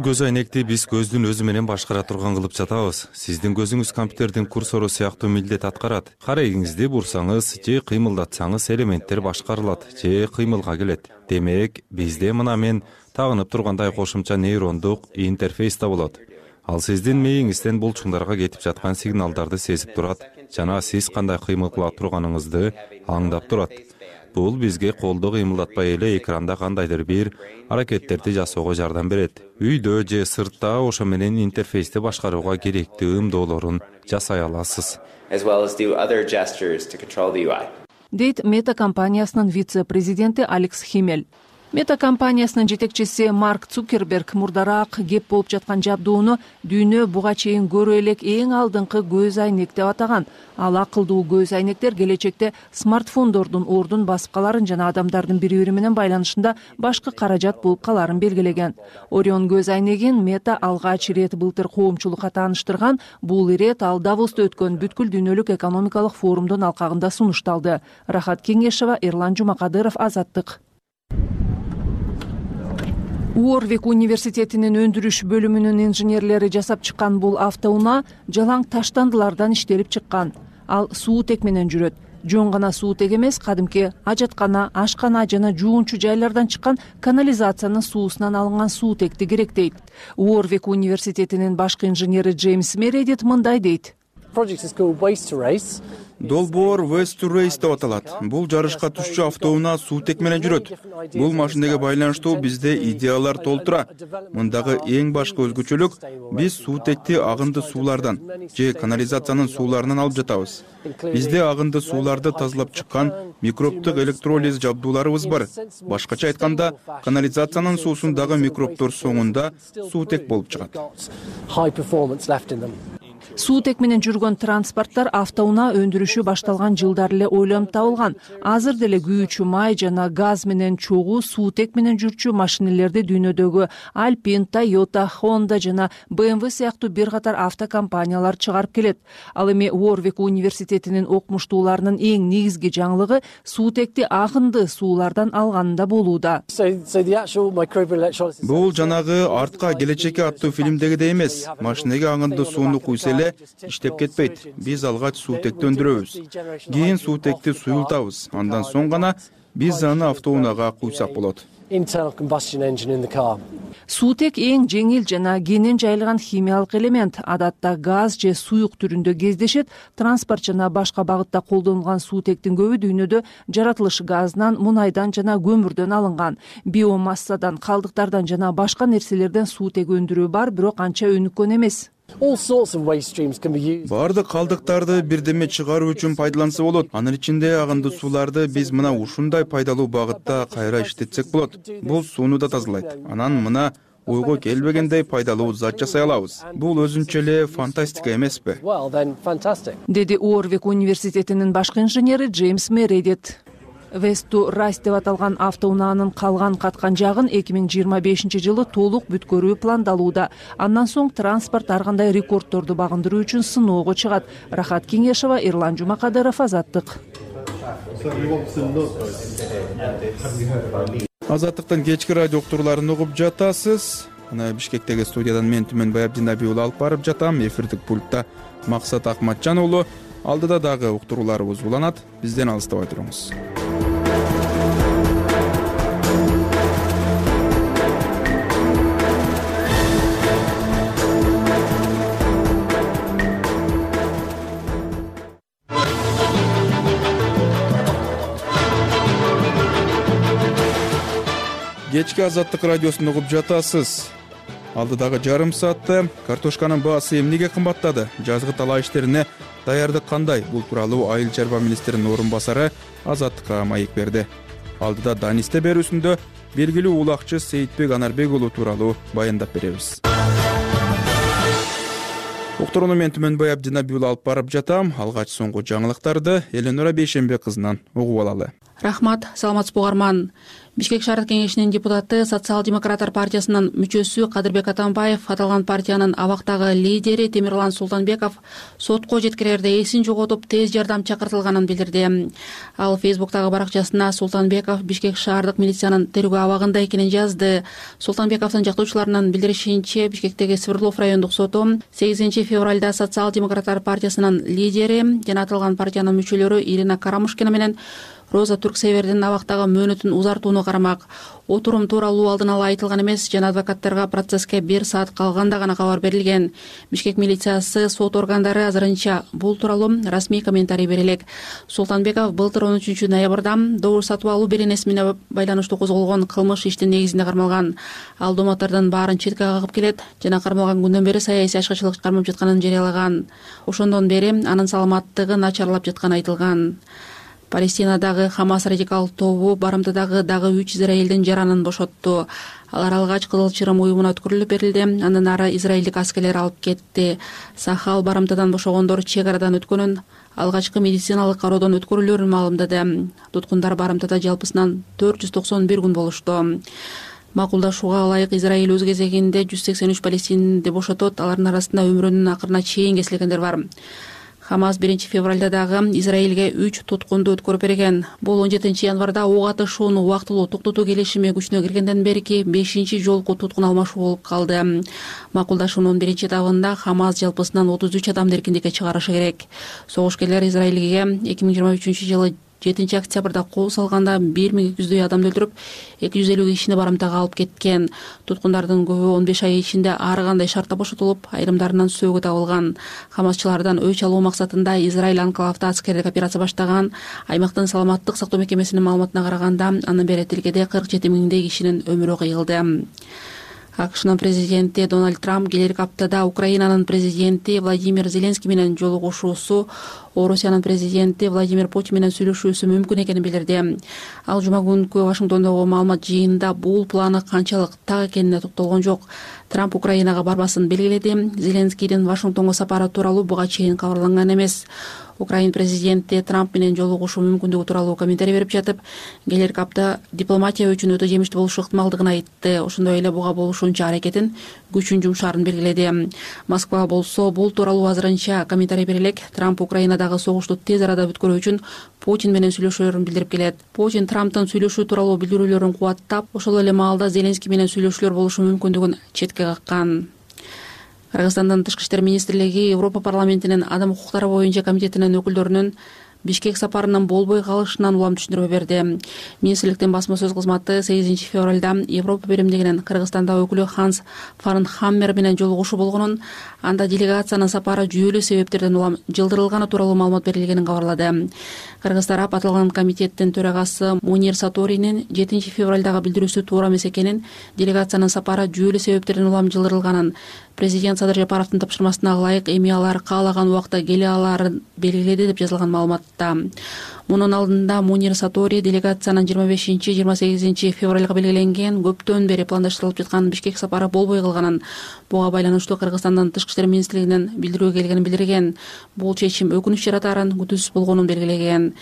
көз айнекти биз көздүн өзү менен башкара турган кылып жатабыз. Сиздин көзүңүз компьютердин курсору сыяктуу милдет аткарат. Карайыңызды бурсаңыз же кыймылдатсаңыз элементтер башкарылат же кыймылга келет. Демек, бизде мына мен тагынып тургандай кошумча нейрондук интерфейс да болот. Ал сиздин мээңизден булчуңдарга кетип жаткан сигналдарды сезип турат жана сиз кандай кыймыл кыла турганыңызды аңдап турат. Бул бизге колду кыймылдатпай эле экранда кандайдыр бир аракеттерди жасоого жардам берет. Үйдө же сыртта ошо менен интерфейсти башкарууга керектүү ымдоолорун жасай аласыз. Дейт Мета компаниясынын вице-президенти Алекс Химмель. Мета компаниясынын жетекчиси Марк Цукерберг мурдараак кеп болуп жаткан жабдууну дүйнө буга чейин көрө элек эң алдыңкы көз айнек деп атаган. Ал акылдуу көз айнектер келечекте смартфондордун ордун басып каларын жана адамдардын бири-бири менен байланышында башкы каражат болуп каларын белгилеген. Орион көз айнегин Мета алгач ирет былтыр коомчулукка тааныштырган. Бул ирет ал Давоста өткөн бүткүл дүйнөлүк экономикалык форумдун алкагында сунушталды. Рахат Кеңешева, Эрлан Жумакадыров, Азаттык. Уорвик университетинин өндүрүш бөлүмүнүн инженерлери жасап чыккан бул автоунаа жалаң таштандылардан иштелип чыккан. Ал суутек менен жүрөт. Жөн гана суутек эмес, кадимки ажаткана, ашкана жана жуунчу жайлардан чыккан канализациянын суусунан алынган суутекти керектейт. Уорвик университетинин башкы инженери Джеймс Мередит мындай дейт. Долбоор Waste to Race деп аталат. Бул жарышка түшчү автоунаа суутек менен жүрөт. Бул машинеге байланыштуу бизде идеялар толтура. Мындагы эң башкы өзгөчөлүк биз суутекти агынды суулардан же канализациянын сууларынан алып жатабыз. Бизде агынды сууларды тазалап чыккан микробтук электролиз жабдууларыбыз бар. Башкача айтканда, канализациянын суусундагы микробтор соңунда суутек болуп чыгат. Суутек менен жүргөн транспорттор автоунаа өндүрүшү башталган жылдар эле ойлонуп табылган. Азыр деле күйүүчү май жана газ менен чогуу суутек менен жүрчү машинелерди дүйнөдөгү Alpine, Toyota, Honda жана BMW сыяктуу бир катар автокомпаниялар чыгарып келет. Ал эми Уорвик университетинин окумуштууларынын эң негизги жаңылыгы суутекти агынды суулардан алганында болууда. Бул жанагы Артка келечекке аттуу фильмдегидей эмес. Машинеге агынды сууну куйса эле иштеп кетпейт. Биз алгач суутекти өндүрөбүз. Кийин суутекти суюлтабыз. Андан соң гана биз аны автоунаага куйсак болот. Суутек эң жеңил жана кенен жайылган химиялык элемент. Адатта газ же суюк түрүндө кездешет. Транспорт жана башка багытта колдонулган суутектин көбү дүйнөдө жаратылыш газынан, мунайдан жана көмүрдөн алынган. Биомассадан, калдыктардан жана башка нерселерден суутек өндүрүү бар, бирок анча өнүккөн эмес. Бардык калдыктарды бирдеме чыгаруу үчүн пайдаланса болот. Анын ичинде агынды сууларды биз мына ушундай пайдалуу багытта кайра иштетсек болот. Бул сууну да тазалайт. Анан мына ойго келбегендей пайдалуу зат жасай алабыз. Бул өзүнчө эле фантастика эмеспи? Деди Уорвик университетинин башкы инженери Джеймс Мередит. Весту Райс деп аталган автоунаанын калган каткан жагын 2025-жылы толук бүткөрүү пландалууда. Андан соң транспорт ар кандай рекордторду багындыруу үчүн сыноого чыгат. Рахат Кеңешова, Эрлан Жумакадыров, Азаттык. Азаттыктын кечки радио уктурууларын угуп жатасыз. Мына Бишкектеги студиядан мен Түмөнбай Абдинабий уулу алып барып жатам. Эфирдик пультта Максат Акматжан уулу. Алдыда дагы уктурууларыбыз уланат. Бизден алыстабай туруңуз. Кечки Азаттык радиосун угуп жатасыз. Алдыдагы жарым саатта картошканын баасы эмнеге кымбаттады? Жазгы талаа иштерине даярдык кандай? Бул тууралуу Айыл чарба министринин орун басары Азаттыкка маек берди. Алдыда Данисте берүүсүндө белгилүү улакчы Сейитбек Анарбек уулу тууралуу баяндап беребиз. Уктурууну мен Түмөнбай Абдинабий уулу алып барып жатам. Алгач соңку жаңылыктарды Эленора Бейшенбек кызынан угуп алалы. Рахмат, саламатсызбы угарман. Бишкек шаардык кеңешинин депутаты, Социал-демократтар партиясынын мүчөсү Кадырбек Атамбаев аталган партиянын абактагы лидери Темирлан Султанбеков сотко жеткирерде эсин жоготуп тез жардам чакыртылганын билдирди. Ал Фейсбуктагы баракчасына Султанбеков Бишкек шаардык милициянын тергөө абагында экенин жазды. Султанбековдун жактоочуларынын билдиришинче, Бишкектеги Свердлов райондук соту 8 февралда Социал-демократтар партиясынын лидери жана аталган партиянын мүчөлөрү Ирина Карамушкина менен Роза Турксевердин абактагы мөөнөтүн узартууну карамак. Отурум тууралуу алдын ала айтылган эмес, жана адвокаттарга процесске 1 саат калганда гана кабар берилген. Бишкек милициясы, сот органдары азырынча бул тууралуу расмий комментарий бере элек. Султанбеков былтыр 13 ноябрда добуш сатып алуу беренеси менен байланыштуу козголгон кылмыш иштин негизинде кармалган. Ал домоттордун баарын четке кагып келет жана кармалган күндөн бери саясий ачкычылык кармап жатканын жарыялаган. Ошондон бери анын саламаттыгы начарлап жатканы айтылган. Палестинадагы Хамас радикал тобу барымтадагы дагы 3 израилдин жаранын бошотту. Алар алгач Кызыл Чырым уюмуна өткөрүлүп берилди. Андан ары израилдик аскерлер алып кетти. Сахал барымтадан бошогондор чек арадан өткөнүн, алгачкы медициналык кароодон өткөрүлөрүн маалымдады. Туткундар барымтада жалпысынан 491 күн болушту. Макулдашууга ылайык Израиль өз кезегинде 183 палестинди бошотот. Алардын арасында өмүрүнүн акырына чейин кесилгендер бар. Хамас 1 февралда дагы Израилге 3 туткунду өткөрүп берген. Бул 17 январда ок атышууну убактылуу токтотуу келишими күчүнө киргенден берки 5 жолку туткун алмашуу болуп калды. Макулдашуунун 1 этабында Хамас жалпысынан 33 адамды эркиндикке чыгарышы керек. Согушкерлер Израилге 2023-жылы 7 октябрда кол салганда 1200 адамды өлтүрүп, 250 кишини барымтага алып кеткен. Туткундардын көбү 15 ай ичинде ар кандай шартта бошотулуп, айрымдарынан сөөгү табылган. Хамасчылардан өч алуу максатында Израиль анклавда аскердик операция баштаган. Аймактын саламаттык сактоо мекемесинин маалыматына караганда, анын бери тилкеде 47 миңдей кишинин өмүрү кыйылды. АКШнын президенти Дональд Трамп келерки аптада Украинанын президенти Владимир Зеленский менен жолугушуусу, Орусиянын президенти Владимир Путин менен сүйлөшүүсү мүмкүн экенин билдирди. Ал жума күнкү Вашингтондогу маалымат жыйынында бул планы канчалык так экенине токтолгон жок. Трамп Украинага барбасын белгиледи. Зеленскийдин Вашингтонго сапары тууралуу буга чейин кабарланган эмес. Украин президенти Трамп менен жолугушуу мүмкүндүгү тууралуу комментарий берип жатып, келерки апта дипломатия үчүн өтө жемиштүү болушу ыктымалдыгын айтты. Ошондой эле буга болушунча аракетин күчүн жумшаарын белгиледи. Москва болсо бул тууралуу азырынча комментарий бере элек. Трамп Украинадагы согушту тез арада бүткөрүү үчүн Путин менен сүйлөшүүлөрүн билдирип келет. Путин Трамптын сүйлөшүү тууралуу билдирүүлөрүн кубаттап, ошол эле маалда Зеленский менен сүйлөшүүлөр болушу мүмкүндүгүн четке каккан. Кыргызстандын Тышкы иштер министрлиги Европа парламентинин адам укуктары боюнча комитетинин өкүлдөрүнүн Бишкек сапарынын болбой калышынан улам түшүндүрмө берди. Министрликтин басма сөз кызматы 8 февралда Европа биримдигинин Кыргызстандагы өкүлү Ханс Фарнхаммер менен жолугушуу болгонун, анда делегациянын сапары жүйөлүү себептерден улам жылдырылганы тууралуу маалымат берилгенин кабарлады. Кыргыз тарап аталган комитеттин төрагасы Мунир Саторинин 7 февралдагы билдирүүсү туура эмес экенин, делегациянын сапары жүйөлүү себептерден улам жылдырылганын, президент Садыр Жапаровдун тапшырмасына ылайык эми алар каалаган убакта келе алаарын белгиледи деп жазылган маалыматта. Мунун алдында Мунир Сатори делегациянын 25-28 февралга белгиленген көптөн бери пландаштырылып жаткан Бишкек сапары болбой калганын, буга байланыштуу Кыргызстандын Тышкы иштер министрлигинен билдирүү келгенин билдирген. Бул чечим өкүнүч жаратаарын, күтүүсүз болгонун белгилеген.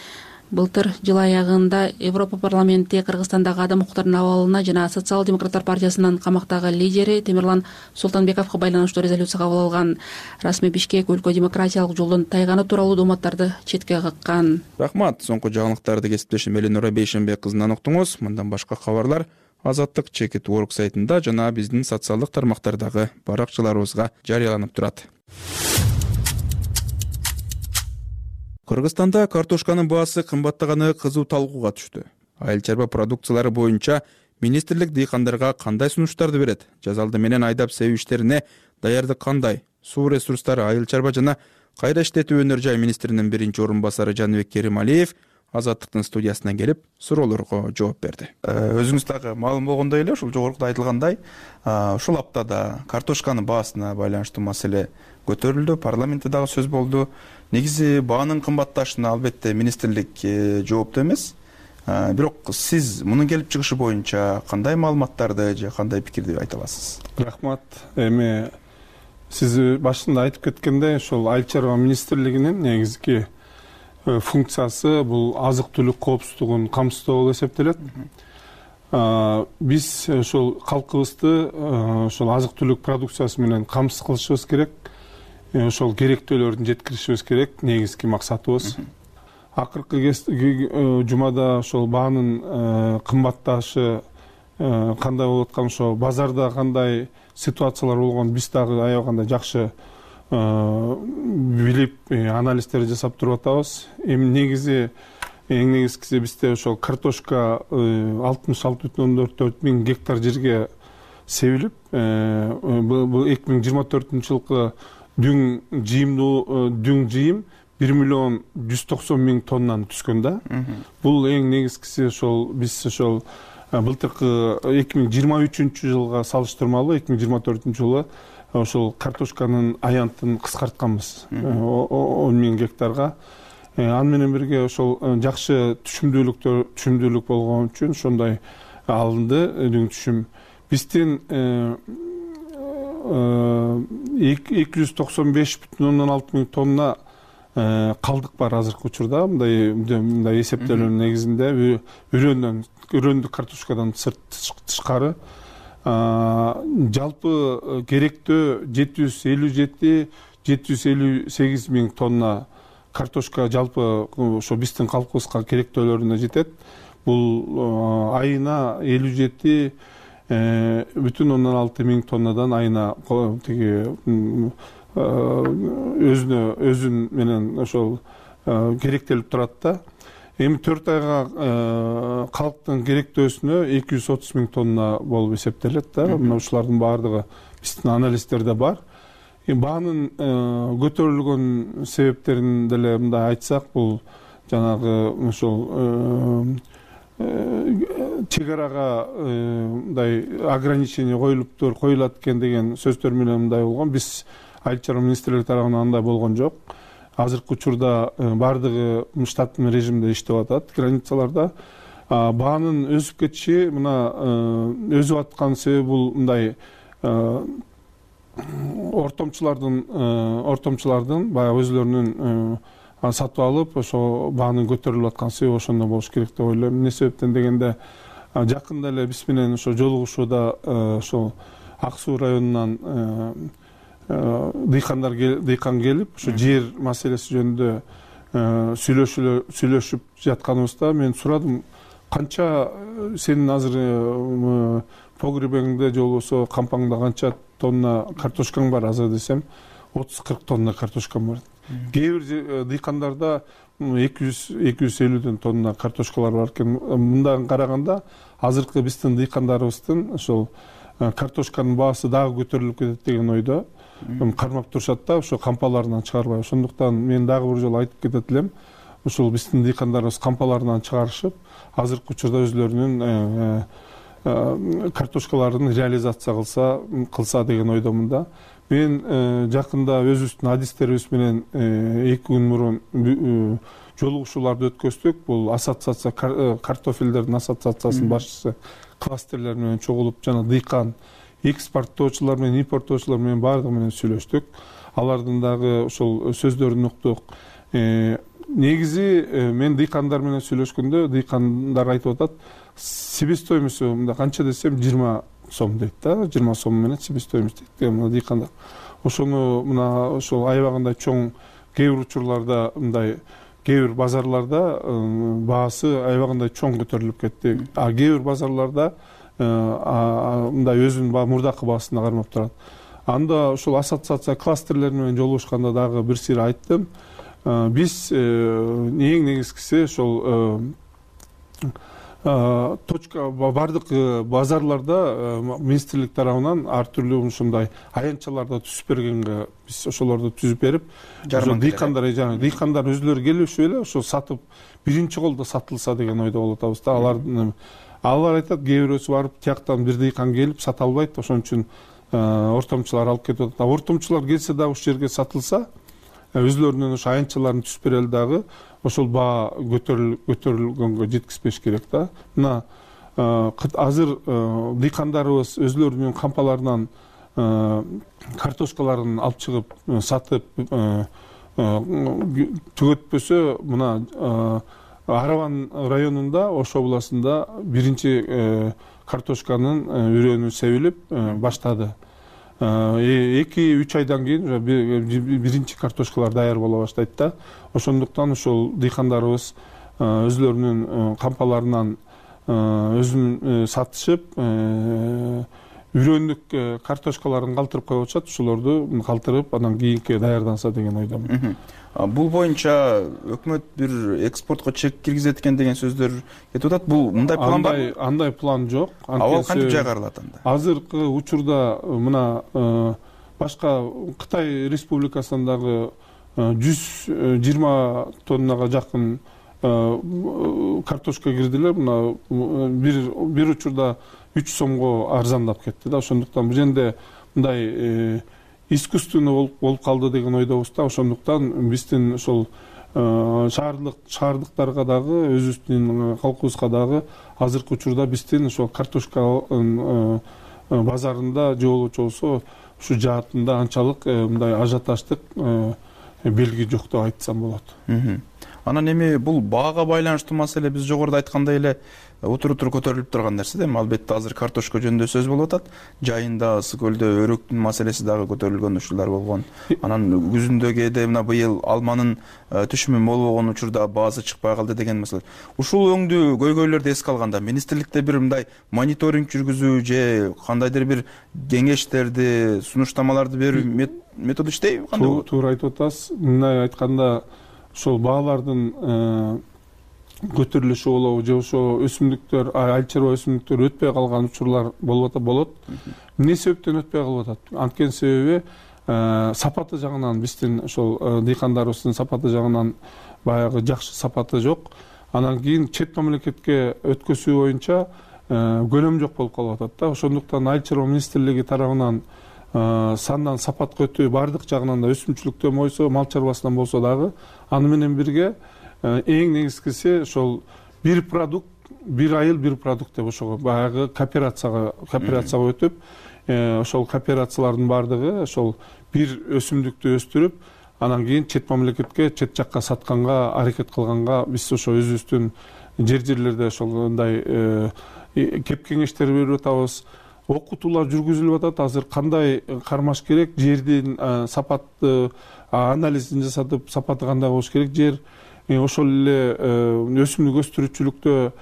Былтыр жыл аягында Европа парламенти Кыргызстандагы адам укуктарынын абалына жана Социал демократтар партиясынын камактагы лидери Темирлан Султанбековго байланыштуу резолюция кабыл алган. Расмий Бишкек өлкө демократиялык жолдон тайганы тууралуу дооматтарды четке каккан. Рахмат. Соңку жаңылыктарды кесиптешим Эленора Бейшенбек кызынан уктуңуз. Мындан башка кабарлар Азаттык Чекит.org сайтында жана биздин социалдык тармактардагы баракчаларыбызга жарыяланып турат. Кыргызстанда картошканын баасы кымбаттаганы кызуу талкууга түштү. Айыл чарба продукциялары боюнча министрлик дыйкандарга кандай сунуштарды берет? Жазалды менен айдап себүү иштерине даярдык кандай? Суу ресурстары, айыл чарба жана кайра иштетүү өнөр жай министринин биринчи орун басары Жаныбек Керималиев Азаттыктын студиясына келип суроолорго жооп берди. Өзүңүз дагы маалым болгондой эле ушул жогоруда айтылгандай, ушул аптада картошканын баасына байланыштуу маселе көтөрүлдү, парламентте дагы сөз болду. Негизи баанын кымбатташына албетте министрлик жооптуу эмес. Бирок сиз мунун келип чыгышы боюнча кандай маалыматтарды же кандай пикирди айта аласыз? Рахмат. Эми сиз башында айтып кеткендей, ошол айыл чарба министрлигинин негизги функциясы бул азык-түлүк коопсуздугун камсыздоо болуп эсептелет. Биз ошол калкыбызды ошол азык-түлүк продукциясы менен камсыз кылышыбыз керек. Ошол керектүүлөрдү жеткиришибиз керек, негизги максатыбыз. Акыркы жумада ошол баанын кымбатташы кандай болуп аткан, ошо базарда кандай ситуациялар болгон биз дагы аябагандай жакшы билип анализдер жасап туруп атабыз. Эми негизи эң негизгиси бизде ошол картошка 66,4 миң гектар жерге себилип, бул 2024-жылкы дүң жыйым 1,190,000 тоннаны түскөн да. Бул эң негизгиси ошол биз ошол былтыркы 2023-жылга салыштырмалуу 2024-жылы ошол картошканын аянтын кыскартканбыз 10,000 гектарга. Аны менен бирге ошол жакшы түшүмдүүлүк болгон үчүн ошондой алынды дүң түшүм. Биздин 295,6 миң тонна калдык бар азыркы учурда. Мындай эсептөөнүн негизинде өрөөндүк картошкадан тышкары жалпы керектөө 757-758 миң тонна картошка жалпы ошо биздин калкыбызга керектөөлөрүнө жетет. Бул айына 57,6 миң тоннадан айына тиги өзүн менен ошол керектелип турат да. Эми 4 айга калктын керектөөсүнө 230 миң тонна болуп эсептелет да. Мына ушулардын баардыгы биздин анализдерде бар. Баанын көтөрүлгөн себептерин деле мындай айтсак, бул жанагы ошол чек арага мындай ограничение коюлат экен деген сөздөр менен мындай болгон. Биз айыл чарба министрлиги тарабынан андай болгон жок. Азыркы учурда баардыгы штаттын режимде иштеп атат границаларда. Баанын өсүп кетиши мына өзүп аткан себеби бул мындай ортомчулардын баягы өзлөрүнүн сатып алып ошо баанын көтөрүлүп аткан себеби ошондо болуш керек деп ойлойм. Эмне себептен дегенде жакында эле биз менен ошо жолугушууда ошол Ак Суу районунан дыйкан келип, ошо жер маселеси жөнүндө сүйлөшүп жатканыбызда мен сурадым, канча сенин азыр погребиңде же болбосо кампаңда канча тонна картошкаң бар азыр десем, 30-40 тонна картошкам бар. Кээ бир дыйкандарда 200-250 тонна картошкалар бар экен. Мындан караганда азыркы биздин дыйкандарыбыздын ошол картошканын баасы дагы көтөрүлүп кетет деген ойдо кармап турушат да, ошо кампаларынан чыгарбай. Ошондуктан мен дагы бир жолу айтып кетет элем, ушул биздин дыйкандарыбыз кампаларынан чыгарышып, азыркы учурда өзлөрүнүн картошкаларын реализация кылса деген ойдомун да. Мен жакында өзүбүздүн адистерибиз менен 2 күн мурун жолугушууларды өткөздүк. Бул ассоциация картофелдердин ассоциациясынын башчысы кластерлер менен чогулуп, жана дыйкан экспорттоочулар менен импорттоочулар менен баардыгы менен сүйлөштүк. Алардын дагы ошол сөздөрүн уктук. негизи мен дыйкандар менен сүйлөшкөндө дыйкандар айтып атат, себестоимосту мындай канча десем 20 сом дейт да, 20 сом менен себестоимост дейт мына дыйкандар. Ошону мына ошол аябагандай чоң кээ бир учурларда мындай кээ бир базарларда баасы аябагандай чоң көтөрүлүп кетти. А кээ бир базарларда мындай өзүнүн мурдакы баасына кармап турат. Анда ошол ассоциация кластерлер менен жолугушканда дагы бир сир айттым. Биз эң негизгиси ошол точка бардык базарларда министрлик тарабынан ар түрдүү ушундай аянтчаларды түзүп бергенге биз ошолорду түзүп берип, дыйкандар өзүлөрү келишип эле ошо сатып биринчи колдо сатылса деген ойдо болуп атабыз да. Алар айтат, кээ бирөөсү барып тияктан бир дыйкан келип сата албайт, ошон үчүн ортомчулар алып кетип атат. Ортомчулар келсе дагы ушул жерге сатылса, өзүлөрүнүн ошо аянтчаларын түзүп берели дагы ошол баа көтөрүлгөнгө жеткизбеш керек да. Мына азыр дыйкандарыбыз өзүлөрүнүн кампаларынан картошкаларын алып чыгып сатып түгөтпөсө, мына Араван районунда, Ош областында биринчи картошканын үрөөнү себилип баштады. 2-3 айдан кийин биринчи картошкалар даяр боло баштайт да. Ошондуктан ошол дыйкандарыбыз өзүлөрүнүн кампаларынан өзүн сатышып, үрөндүк картошкаларын калтырып коюп атышат. Ошолорду калтырып, анан кийинки даярданса деген ойдомун. Бул боюнча өкмөт бир экспортко чек киргизет экен деген сөздөр кетип атат. Бул мындай план барбы? Андай план жок. Абал кантип жайгарылат анда? Азыркы учурда мына башка Кытай Республикасындагы 120 тоннага жакын картошка кирдилер. Мына бир учурда 3 сомго арзандап кетти да. Ошондуктан бул жерде мындай искусственный болуп калды деген ойдобуз да. Ошондуктан биздин ошол шаардыктарга дагы, өзүбүздүн калкыбызга дагы азыркы учурда биздин ошол картошка базарында же болбочу болсо ушу жаатында анчалык мындай ажиотаждык белги жок деп айтсам болот. Анан эми бул баага байланыштуу маселе биз жогоруда айткандай эле утур-утур көтөрүлүп турган нерсе да. Албетте азыр картошка жөнүндө сөз болуп атат. Жайында Ысык көлдө өрөктүн маселеси дагы көтөрүлгөн учурлар болгон. Анан күзүндө кээде мына быйыл алманын түшүмү мол болгон учурда баасы чыкпай калды деген маселе. Ушул өңдүү көйгөйлөрдү эске алганда министрликте бир мындай мониторинг жүргүзүү же кандайдыр бир кеңештерди, сунуштамаларды берүү методу иштейби? Туура айтып атасыз. Мындай айтканда ошол баалардын көтөрүлүшү болобу же ошо өсүмдүктөр, айыл чарба өсүмдүктөр өтпөй калган учурлар болот. Эмне себептен өтпөй калып атат? Анткени себеби сапаты жагынан биздин ошол дыйкандарыбыздын сапаты жагынан баягы жакшы сапаты жок. Анан кийин чет мамлекетке өткөзүү боюнча көлөм жок болуп калып атат да. Ошондуктан айыл чарба министрлиги тарабынан сандан сапатка өтүү бардык жагынан да, өсүмчүлүктөн болсо, мал чарбасынан болсо дагы, аны менен бирге эң негизгиси ошол бир продукт, бир айыл бир продукт деп ошого баягы кооперацияга өтүп, ошол кооперациялардын бардыгы ошол бир өсүмдүктү өстүрүп, анан кийин чет мамлекетке, чет жакка сатканга аракет кылганга биз ошо өзүбүздүн жерлерде ошондой кеп кеңештер берип атабыз. Окутуулар жүргүзүлүп атат. Азыр кандай кармаш керек, жердин сапаты анализин жасатып, сапаты кандай болуш керек, жер ошол эле өсүмдүк өстүрүүчүлүктө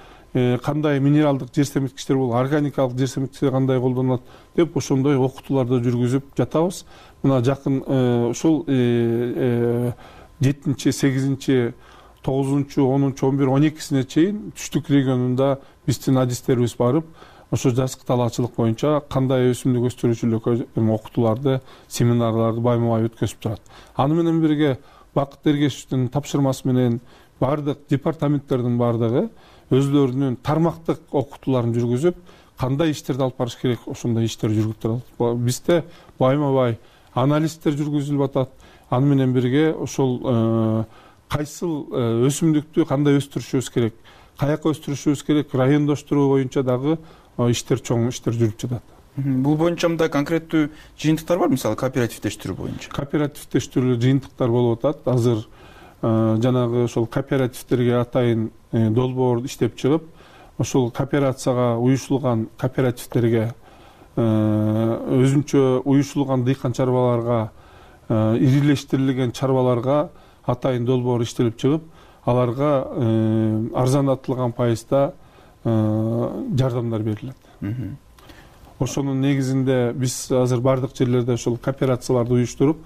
кандай минералдык жер семирткичтер болот, органикалык жер семирткичтер кандай колдонулат деп ошондой окутууларды жүргүзүп жатабыз. Мына жакын ушул 7-8, 9, 10, 11, 12-сине чейин түштүк регионунда биздин адистерибиз барып, ошо жазгы талаачылык боюнча кандай өсүмдүк өстүрүүчүлүккө окутууларды, семинарларды байма-бай өткөзүп турат. Аны менен бирге Бакыт Эргешевдин тапшырмасы менен бардык департаменттердин бардыгы өзлөрүнүн тармактык окутууларын жүргүзүп, кандай иштерди алып барыш керек, ошондой иштер жүргүзүп турат. Бизде байма-бай анализдер жүргүзүлүп атат. Аны менен бирге ошол кайсыл өсүмдүктү кандай өстүрүшүбүз керек, каяка өстүрүшүбүз керек, райондоштуруу боюнча дагы чоң иштер жүрүп жатат. Бул боюнча мындай конкреттүү жыйынтыктар бар, мисалы кооперативдештирүү боюнча? Кооперативдештирүү жыйынтыктар болуп атат. Азыр жанагы ошол кооперативдерге атайын долбоор иштеп чыгып, ошол кооперацияга уюшулган кооперативдерге, өзүнчө уюшулган дыйкан чарбаларга, ирилештирилген чарбаларга атайын долбоор иштелип чыгып, аларга арзандатылган пайызда жардамдар берилет. Ошонун негизинде биз азыр бардык жерлерде ошол кооперацияларды уюштуруп,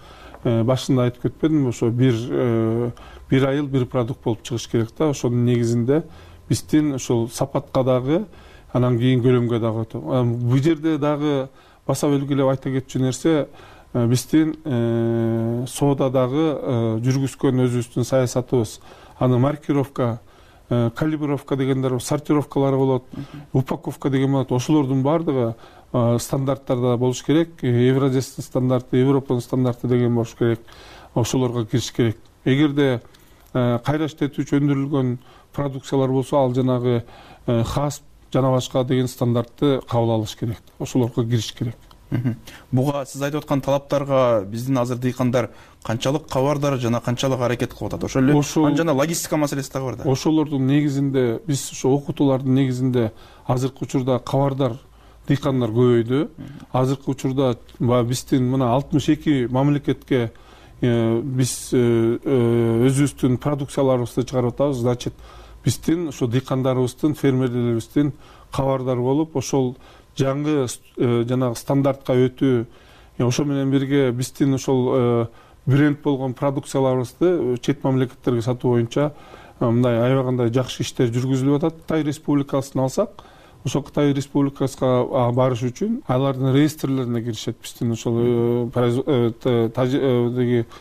башында айтып кетпедимби, ошо бир айыл бир продукт болуп чыгыш керек да. Ошонун негизинде биздин ошол сапатка дагы, анан кийин көлөмгө дагы өтөп. Бул жерде дагы баса белгилеп айта кетчү нерсе, биздин соодадагы жүргүзгөн өзүбүздүн саясатыбыз. Аны маркировка, калибровка дегендер, сортировкалары болот, упаковка деген болот. Ошолордун баардыгы стандарттарда болуш керек. Евразиялык стандарты, Европанын стандарты деген болуш керек. Ошолорго кириш керек. Эгерде кайра иштетүүчү өндүрүлгөн продукциялар болсо, ал жанагы хас жана башка деген стандартты кабыл алыш керек. Ошолорго кириш керек. Буга сиз айтып аткан талаптарга биздин азыр дыйкандар канчалык кабардар жана канчалык аракет кылып атат? Ошол эле жана логистика маселеси дагы бар да. Ошолордун негизинде биз ошо окутуулардын негизинде азыркы учурда кабардар дыйкандар көбөйдү. Азыркы учурда биздин мына 62 мамлекетке биз өзүбүздүн продукцияларыбызды чыгарып атабыз. Значит, биздин ошо дыйкандарыбыздын, фермерлерибиздин кабардар болуп, ошол жаңы жанагы стандартка өтүү, ошо менен бирге биздин ошол бренд болгон продукцияларыбызды чет мамлекеттерге сатуу боюнча мындай аябагандай жакшы иштер жүргүзүлүп атат. Кытай Республикасын алсак, ошол Кытай Республикасына барыш үчүн алардын реестрлерине киришет биздин ошол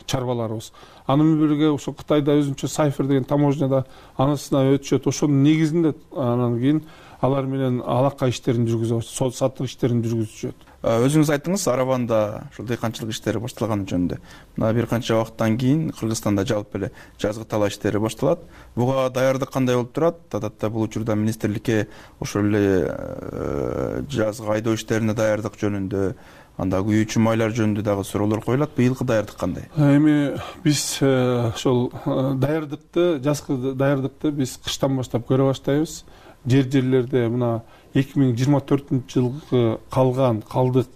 чарбаларыбыз. Аны менен бирге ошо Кытайда өзүнчө Сайфер деген таможняда анысына өтүшөт. Ошонун негизинде анан кийин алар менен алака иштерин жүргүзүп, сатык иштерин жүргүзүшөт. Өзүңүз айттыңыз, Арабанда ушул дыйканчылык иштери башталганы жөнүндө. Мына бир канча убакыттан кийин Кыргызстанда жалпы эле жазгы талаа иштери башталат. Буга даярдык кандай болуп турат? Адатта бул учурда министрликке ошол эле жазгы айдоо иштерине даярдык жөнүндө, анда күйүүчү майлар жөнүндө дагы суроолор коюлат. Быйылкы даярдык кандай? Эми биз ошол даярдыкты, жазгы даярдыкты биз кыштан баштап көрө баштайбыз. Жерлерде мына 2024-жылкы калган калдык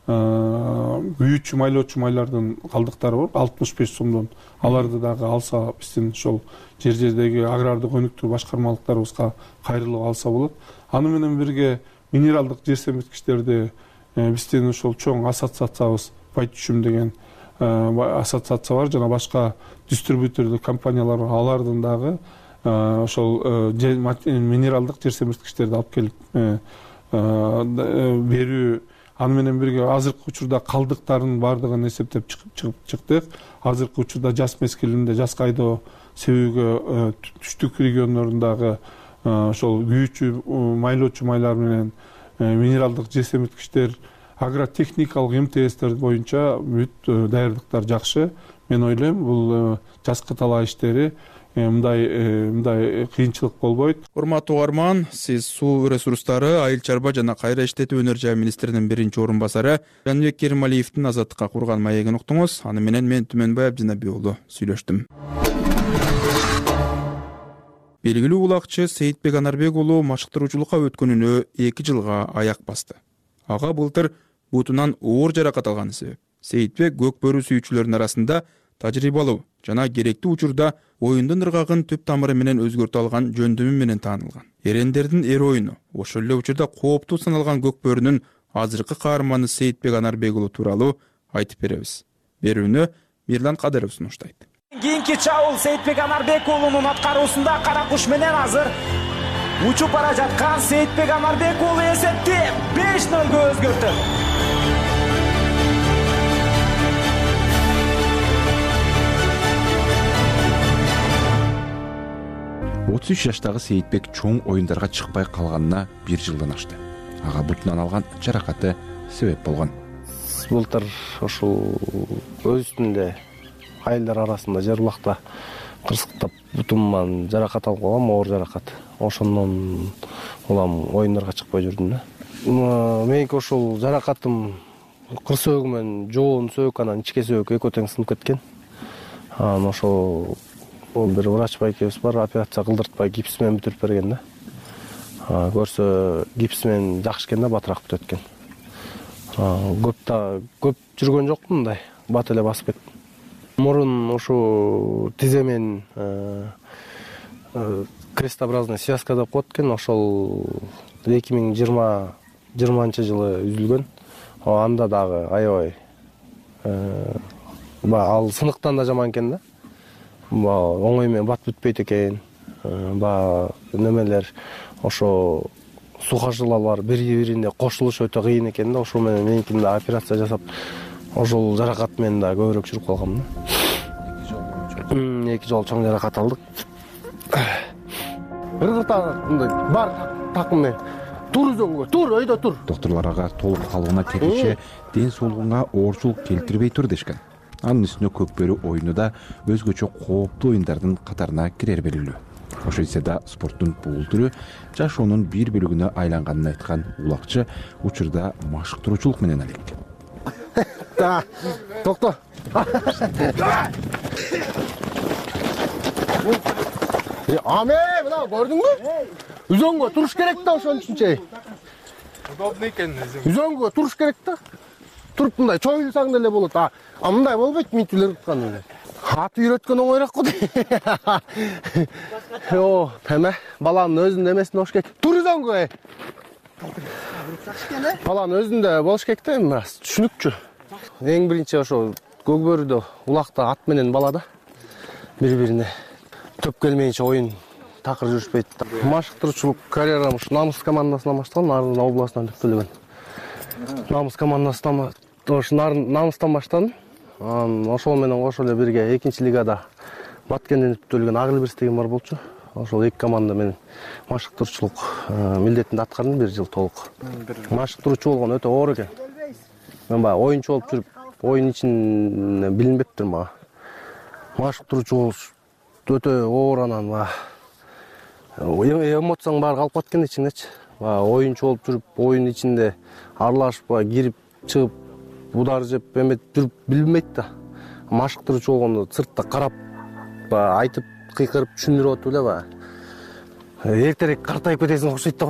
күйүүчү майлоочу майлардын калдыктары бар, 65 сомдон. Аларды дагы алса, биздин ошол жердеги агрардык өнүктүрүү башкармалыктарыбызга кайрылып алса болот. Аны менен бирге минералдык жер семирткичтерди биздин ошол чоң ассоциациябыз Байтүшүм деген ассоциация бар, жана башка дистрибьютордук компаниялар бар. Алардын дагы ошол минералдык жер семирткичтерди алып келип берүү. Аны менен бирге азыркы учурда калдыктардын баардыгын эсептеп чыктык. Азыркы учурда жаз мезгилинде жаз айдоо себүүгө түштүк региондордагы ошол күйүүчү майлоочу майлар менен минералдык жер семирткичтер, агротехникалык МТСтер боюнча бүт даярдыктар жакшы. Мен ойлойм, бул жазкы талаа иштери мындай кыйынчылык болбойт. Урматтуу угарман, сиз суу ресурстары, айыл чарба жана кайра иштетүү өнөр жай министринин биринчи орун басары Жаныбек Керималиевдин Азаттыкка курган маегин уктуңуз. Аны менен мен Түмөнбай Абдинабий уулу сүйлөштүм. Белгилүү улакчы Сейитбек Анарбек уулу машыктыруучулукка өткөнүнө 2 жылга аяк басты. Ага былтыр бутунан оор жаракат алганы себеп. Сейитбек көк бөрү сүйүүчүлөрдүн арасында тажрыйбалуу жана керектүү учурда оюндун ыргагын түп тамыры менен өзгөртө алган жөндөмү менен таанылган. Эрендердин эр оюну, ошол эле учурда кооптуу саналган көк бөрүнүн азыркы каарманы Сейитбек Анарбек уулу тууралуу айтып беребиз. Берүүнү Мирлан Кадыров сунуштайт. Кийинки чабуул Сейитбек Анарбек уулунун аткаруусунда кара куш менен азыр учуп бара жаткан Сейитбек Анарбек уулу эсепти 5-0 өзгөртөт. 33 жаштагы Сейитбек чоң оюндарга чыкпай калганына 1 жылдан ашты. Ага бутунан алган жаракаты себеп болгон. Былтыр ошол өз үстүндө айылдар арасында жер булакта кырсыктап бутумдан жаракат алып калгам, оор жаракат. Ошондон улам оюндарга чыкпай жүрдүм да. Меники ошол жаракатым кыр сөөгү менен жоон сөök, анан ичке сөök экөө тең сынып кеткен. Анан ошол бир врач байкебиз бар, операция кылдыртпай гипс менен бүтүрүп берген да. Көрсө гипс менен жакшы экен да, батыраак бүтөт экен. Көп жүргөн жокмун, мындай бат эле басып кеттим. Мурун ушу тизе менен крестообразный связка деп коет экен, ошол 2020-жылы үзүлгөн. Анда дагы аябай ал сыныктан да жаман экен да. Оңой менен бат бүтпөйт экен. Немелер ошо сухожилалар бири-бирине кошулуш өтө кыйын экен да. Ошол менен меникинде операция жасап, ошол жаракат менен да көбүрөөк жүрүп калгам да. 2 жолу чоң жаракат алдык. Мындай бар такым менен тур өзөнгө, тур, өйдө тур. Докторлор ага толук калыбына келиши ден соолугуңа оорчулук келтирбей тур дешкен. Анын үстүнө көкбөрү оюну да өзгөчө кооптуу оюндардын катарына кирер белгилүү. Ошо да спорттун бул түрү жашоонун бир бөлүгүнө айланганын айткан улакчы учурда машыктыруучулук менен алек. Токто. Аме, мына көрдүңбү? Үзөнгө туруш керек да, ошон үчүнчө. Удобный экен. Үзөнгө туруш керек да. Туруп мындай чоюлсаң деле болот. Мындай болбойт, митилер уткан эле. Ат үйрөткөн оңойраак го. Эме, баланын өзүнүн эмесин болуш керек. Тур үзөнгө. Баланын өзүндө болуш керек да, эми түшүнүкчү. Эң биринчи ошо көкбөрүдө улакта ат менен бала да бири-бирине төп келмейинче oyun такыр жүрүшпөйт. Машыктыруучулук карьерам ушу Намыс командасынан башталган, Нарын областынан түптөлгөн. Намыс командасынан Намыстан баштадым. Ошол менен кошо эле бирге 2-лигада Баткенден түптөлгөн Агылбирс деген бар болчу. Ошол 2 команда менен машыктыруучулук милдетинде аткардым 1 жыл толук. Машыктыруучу болгон өтө оор экен. Мен баягы оюнчу болуп жүрүп, оюн ичине билинбептир мага. Машыктыруучу болуш өтө оор, анан эмоцияң баары калып кеткен ичиңдечи. Оюнчу болуп жүрүп, оюн ичинде аралашып, кирип, чыгып, удар жеп, эметип жүрүп билинбейт да. Машыктыруучу болгондо сыртта карап, айтып, кыйкырып түшүндүрүп атып эле эртерээк картайып кетесиң окшойт да.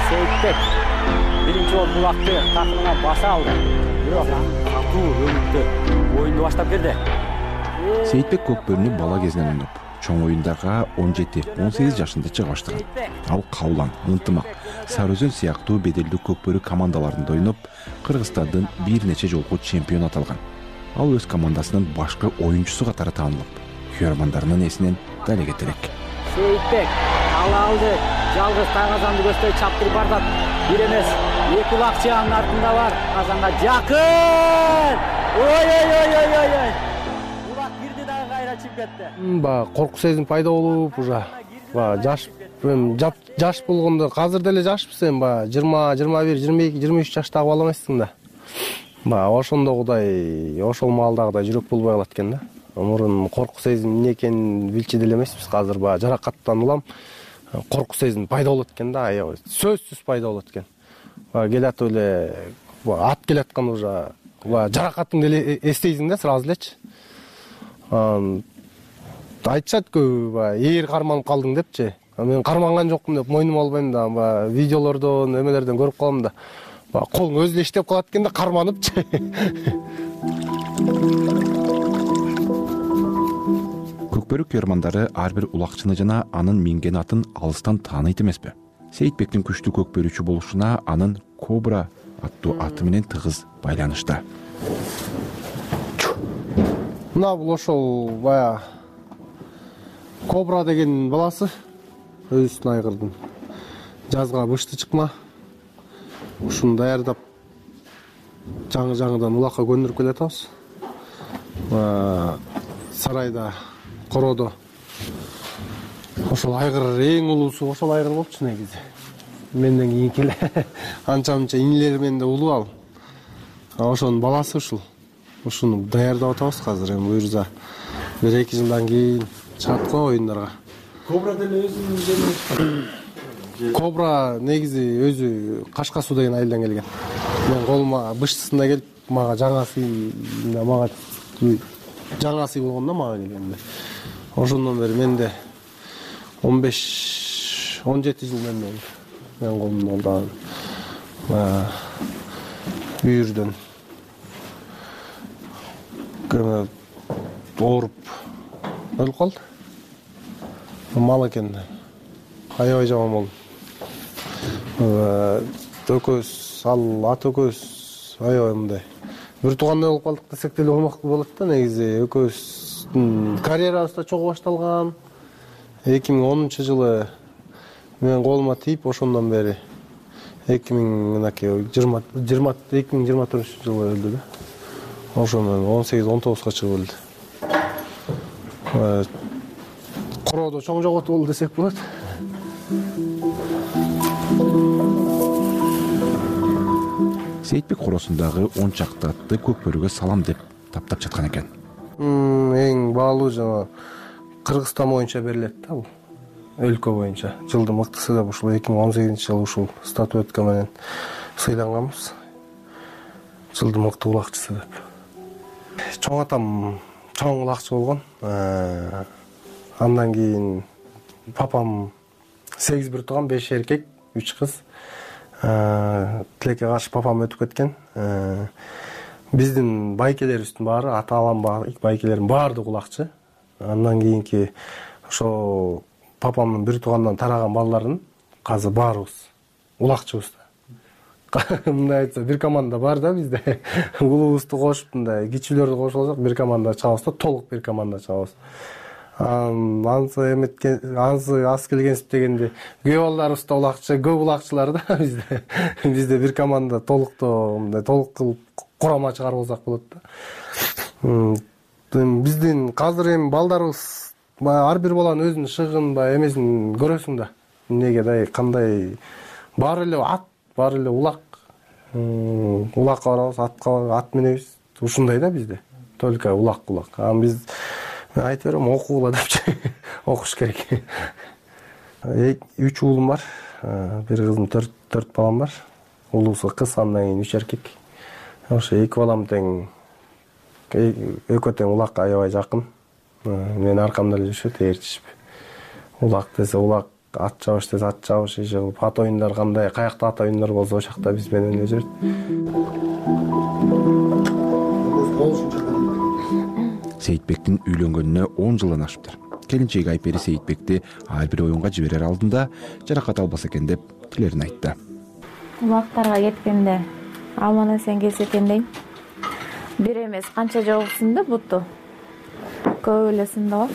Сейитбек биринчи болуп булакты такымына баса алды. Бирок катуу өнүктү, оюнду баштап келди. Сейитбек көкбөрүнү бала кезинен ойноп, чоң оюндарга 17-18 жашында чыга баштаган. Ал Каулан, Ынтымак, Сары Өзөн сыяктуу беделдүү көкбөрү командаларында ойноп, Кыргызстандын бир нече жолку чемпион аталган. Ал өз командасынын башкы оюнчусу катары таанылып, көрөрмандарынын эсинен дал кетерек. Сейитбек ала алды, жалгыз Тайгазанды көздөй чаптырып бардат. Бир эмес, 2 улакчы анын артында бар. Казанга жакын. Ой. Улак кирди дагы кайра чыгып кетти. Корку сезим пайда болуп, уже жаш болгондо, азыр деле жашпыз эми 20, 21, 22, 23 жаштагы бала эмессиң да. Ошондогудай, ошол маалдагыдай жүрөк болбой калат экен да. Мурун корку сезим эмне экенин билчү деле эмеспиз. Азыр жаракаттан улам корку сезим пайда болот экен да, аябай сөзсүз пайда болот экен. Келатып эле ат келаткан уже жаракатыңды эле эстейсиң да сразу элечи. Айтышат көбү ээр карманып калдың депчи. Мен карманган жокмун деп мойнума албайм да, видеолордон, эмелерден көрүп калам да. Колуң өзү эле иштеп калат экен да, карманыпчы. Көкбөрү көрөрмандары ар бир улакчыны жана анын минген атын алыстан тааныйт эмеспи? Сейитбектин күчтүү көкбөрүүчү болушуна анын Кобра аттуу аты менен тыгыз байланышта. Мына бул ошол Кобра деген баласы, өзүнүн айгырдын. Жазга бышты чыкма. Ушуну даярдап жаңы-жаңыдан улакка көндүрүп келатабыз. Сарайда, Коrodо ошол айгыр эң улуусу ошол айгыр болчу негизи. Менден кийинки эле анча-мынча инилер менен да улуу ал. Ошонун баласы ушул. Ушуну даярдап атабыз азыр. Эми буюрса 1-2 жылдан кийин чыгат го оюндарга. Кобра деле өзүнүн жеринде. Кобра негизи өзү Кашкасуу деген айылдан келген. Мен колума быштысында келип мага жаңа сый болгондо мага келгенде. Ошондон бери менде 15-17 жыл болду. Мен колумда болду. Бүйүрдөн ооруп өлүп калды. Мал экен. Аябай жаман болду. Экөөбүз, ат экөөбүз аябай мындай бир туугандай болуп калдык десек деле болот да. Негизи экөөбүздүн карьерабыз да чогуу башталган. 2010-жылы мен колума тийип, ошондон бери 2024-жылы өлдү да. Ошондон 18-19га чыгып өлдү. Короодо чоң жоготуу болду десек болот. Сейитбек короосундагы 10 чакты атты көк бөрүгө салам деп таптап жаткан экен. Эң баалуу жана Кыргызстан боюнча берилет да бул. Өлкө боюнча жылдын мыктысы деп ушул 2018-жылы ушул статуэтка менен сыйланганбыз. Жылдын мыкты улакчысы деп. Чоң атам чоң улакчы болгон. Андан кийин папам 8 бир тууган, 5 эркек, 3 кыз. Тилекке каршы папам өтүп кеткен. Биздин байкелерибиздин баары, ата-анам байкелерим баардыгы улакчы. Андан кийинки ошо папамдын бир туугандан тараган балдарын азыр баарыбыз улакчыбыз да. Мындай айтса, бир команда бар да бизде. Улуубузду кошуп, мындай кичүүлөрдү кошуп алсак, бир команда чабабыз да, толук бир команда чабабыз. Ансы аз келгенсип дегенде күйөө балдарыбыз да улакчы, көп улакчылар да бизде. Бизде бир команда толуктоо, мындай толук кылып курама чыгарып алсак болот да. Биздин казыр эми балдарыбыз ар бир баланын өзүнүн шыгын эмесин көрөсүң да. Эмнеге кандай баары эле ат, баары эле улак. Улакка барабыз, ат минебиз. Ушундай да бизде. Только улак. Биз айтып берем, окугула депчи. Окуш керек. 3 уулум бар. Бир кызым, 4 балам бар. Улуусу кыз, андан кийин 3 эркек. Ошо 2 балам тең, экөө тең улакка аябай жакын. Мен аркамда эле жүрүшөт, ээрчишип. Улак десе улак, ат чабыш десе ат чабыш, ат оюндар кандай, каякта ат оюндар болсо ошол жакта биз менен эле жүрөт. Сейитбектин үйлөнгөнүнө 10 жылдан ашыптыр. Келинчеги Айпери Сейитбекти ар бир оюнга жиберер алдында жаракат албаса экен деп тилерин айтты. Улактарга кеткенде аман эсен келсе экен дейм. Бир эмес канча жолу сынды буту. Көп эле сынды го.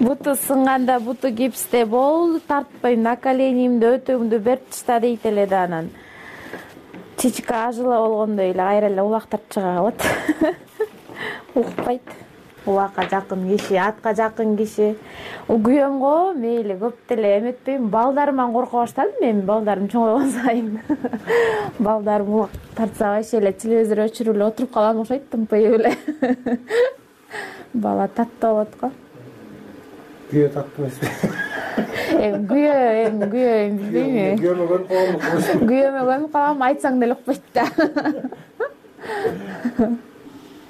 Буту сынганда буту гипсте болду, тартпайм, наколенимди, өтөңдү берип ташта дейт эле да анан. Чичка ажыла болгондой эле кайра эле улак тартып чыга калат. Укпайт. Улакка жакын киши, атка жакын киши. Күйөөм го мейли көп деле эметпейм. Балдарыман корко баштадым мен, балдарым чоңойгон сайын. Балдарым улак тартса вообще эле телевизор өчүрүп эле отуруп калам окшойт, тынпайып эле. Бала таттуу болот го. Күйөө таттуу эмеспи? Күйөө билбейм. Күйөөмө көрүп калам. Күйөөмө көрүп калам, айтсаң деле укпайт да.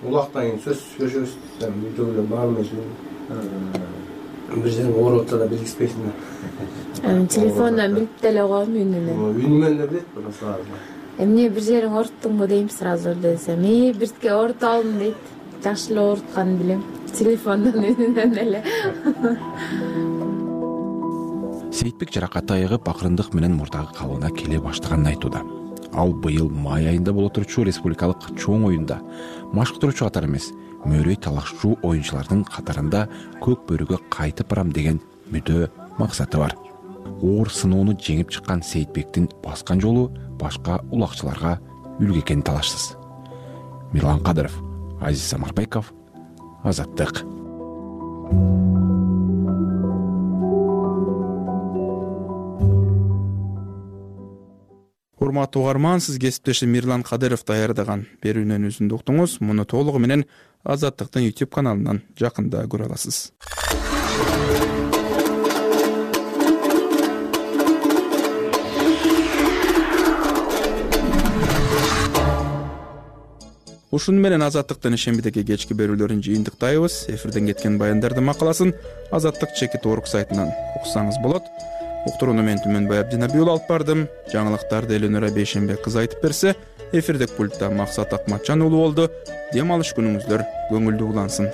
Улактан кийин сөз сүйлөшөбүз. Үйдө эле баармын. Бир жерге ооруп атса да билгизбейсиң да. Телефондон билип деле коем үнүнөн. Үнүмөн эле билет сразу. Эмне бир жериң ооруттуңбу дейм сразу десем, биртке ооруп алдым дейт. Жакшы эле оорутканын билем. Телефондон үнүнөн эле. Сейитбек жаракаты айыгып, акырындык менен мурдагы калыбына келе баштаганын айтууда. Ал быйыл май айында боло турчу республикалык чоң оюнда машыктыруучу катары эмес, мөөрөй талашчу оюнчулардын катарында көк бөрүгө кайтып барам деген мүдө максаты бар. Оор сыноону жеңип чыккан Сейитбектин баскан жолу башка улакчыларга үлгү экени талашсыз. Мирлан Кадыров, Азиз Самарбеков, Азаттык. Урматтуу угарман, сиз кесиптешим Мирлан Кадыров даярдаган берүүнүн үзүндү уктуңуз. Муну толугу менен Азаттыктын YouTube каналынан жакында көрө аласыз. Ушуну менен Азаттыктын ишембидеги кечки берүүлөрүн жыйынтыктайбыз. Эфирден кеткен баяндардын макаласын azattik.org сайтынан уксаңыз болот. Уктурууну мен Түмөнбай Абдинабиул алып бардым. Жаңылыктарды Эленора Бейшенбек кыз айтып берсе, эфирдик пультта Максат Акматжан уулу болду. Дем алыш күнүңүздөр көңүлдүү улансын.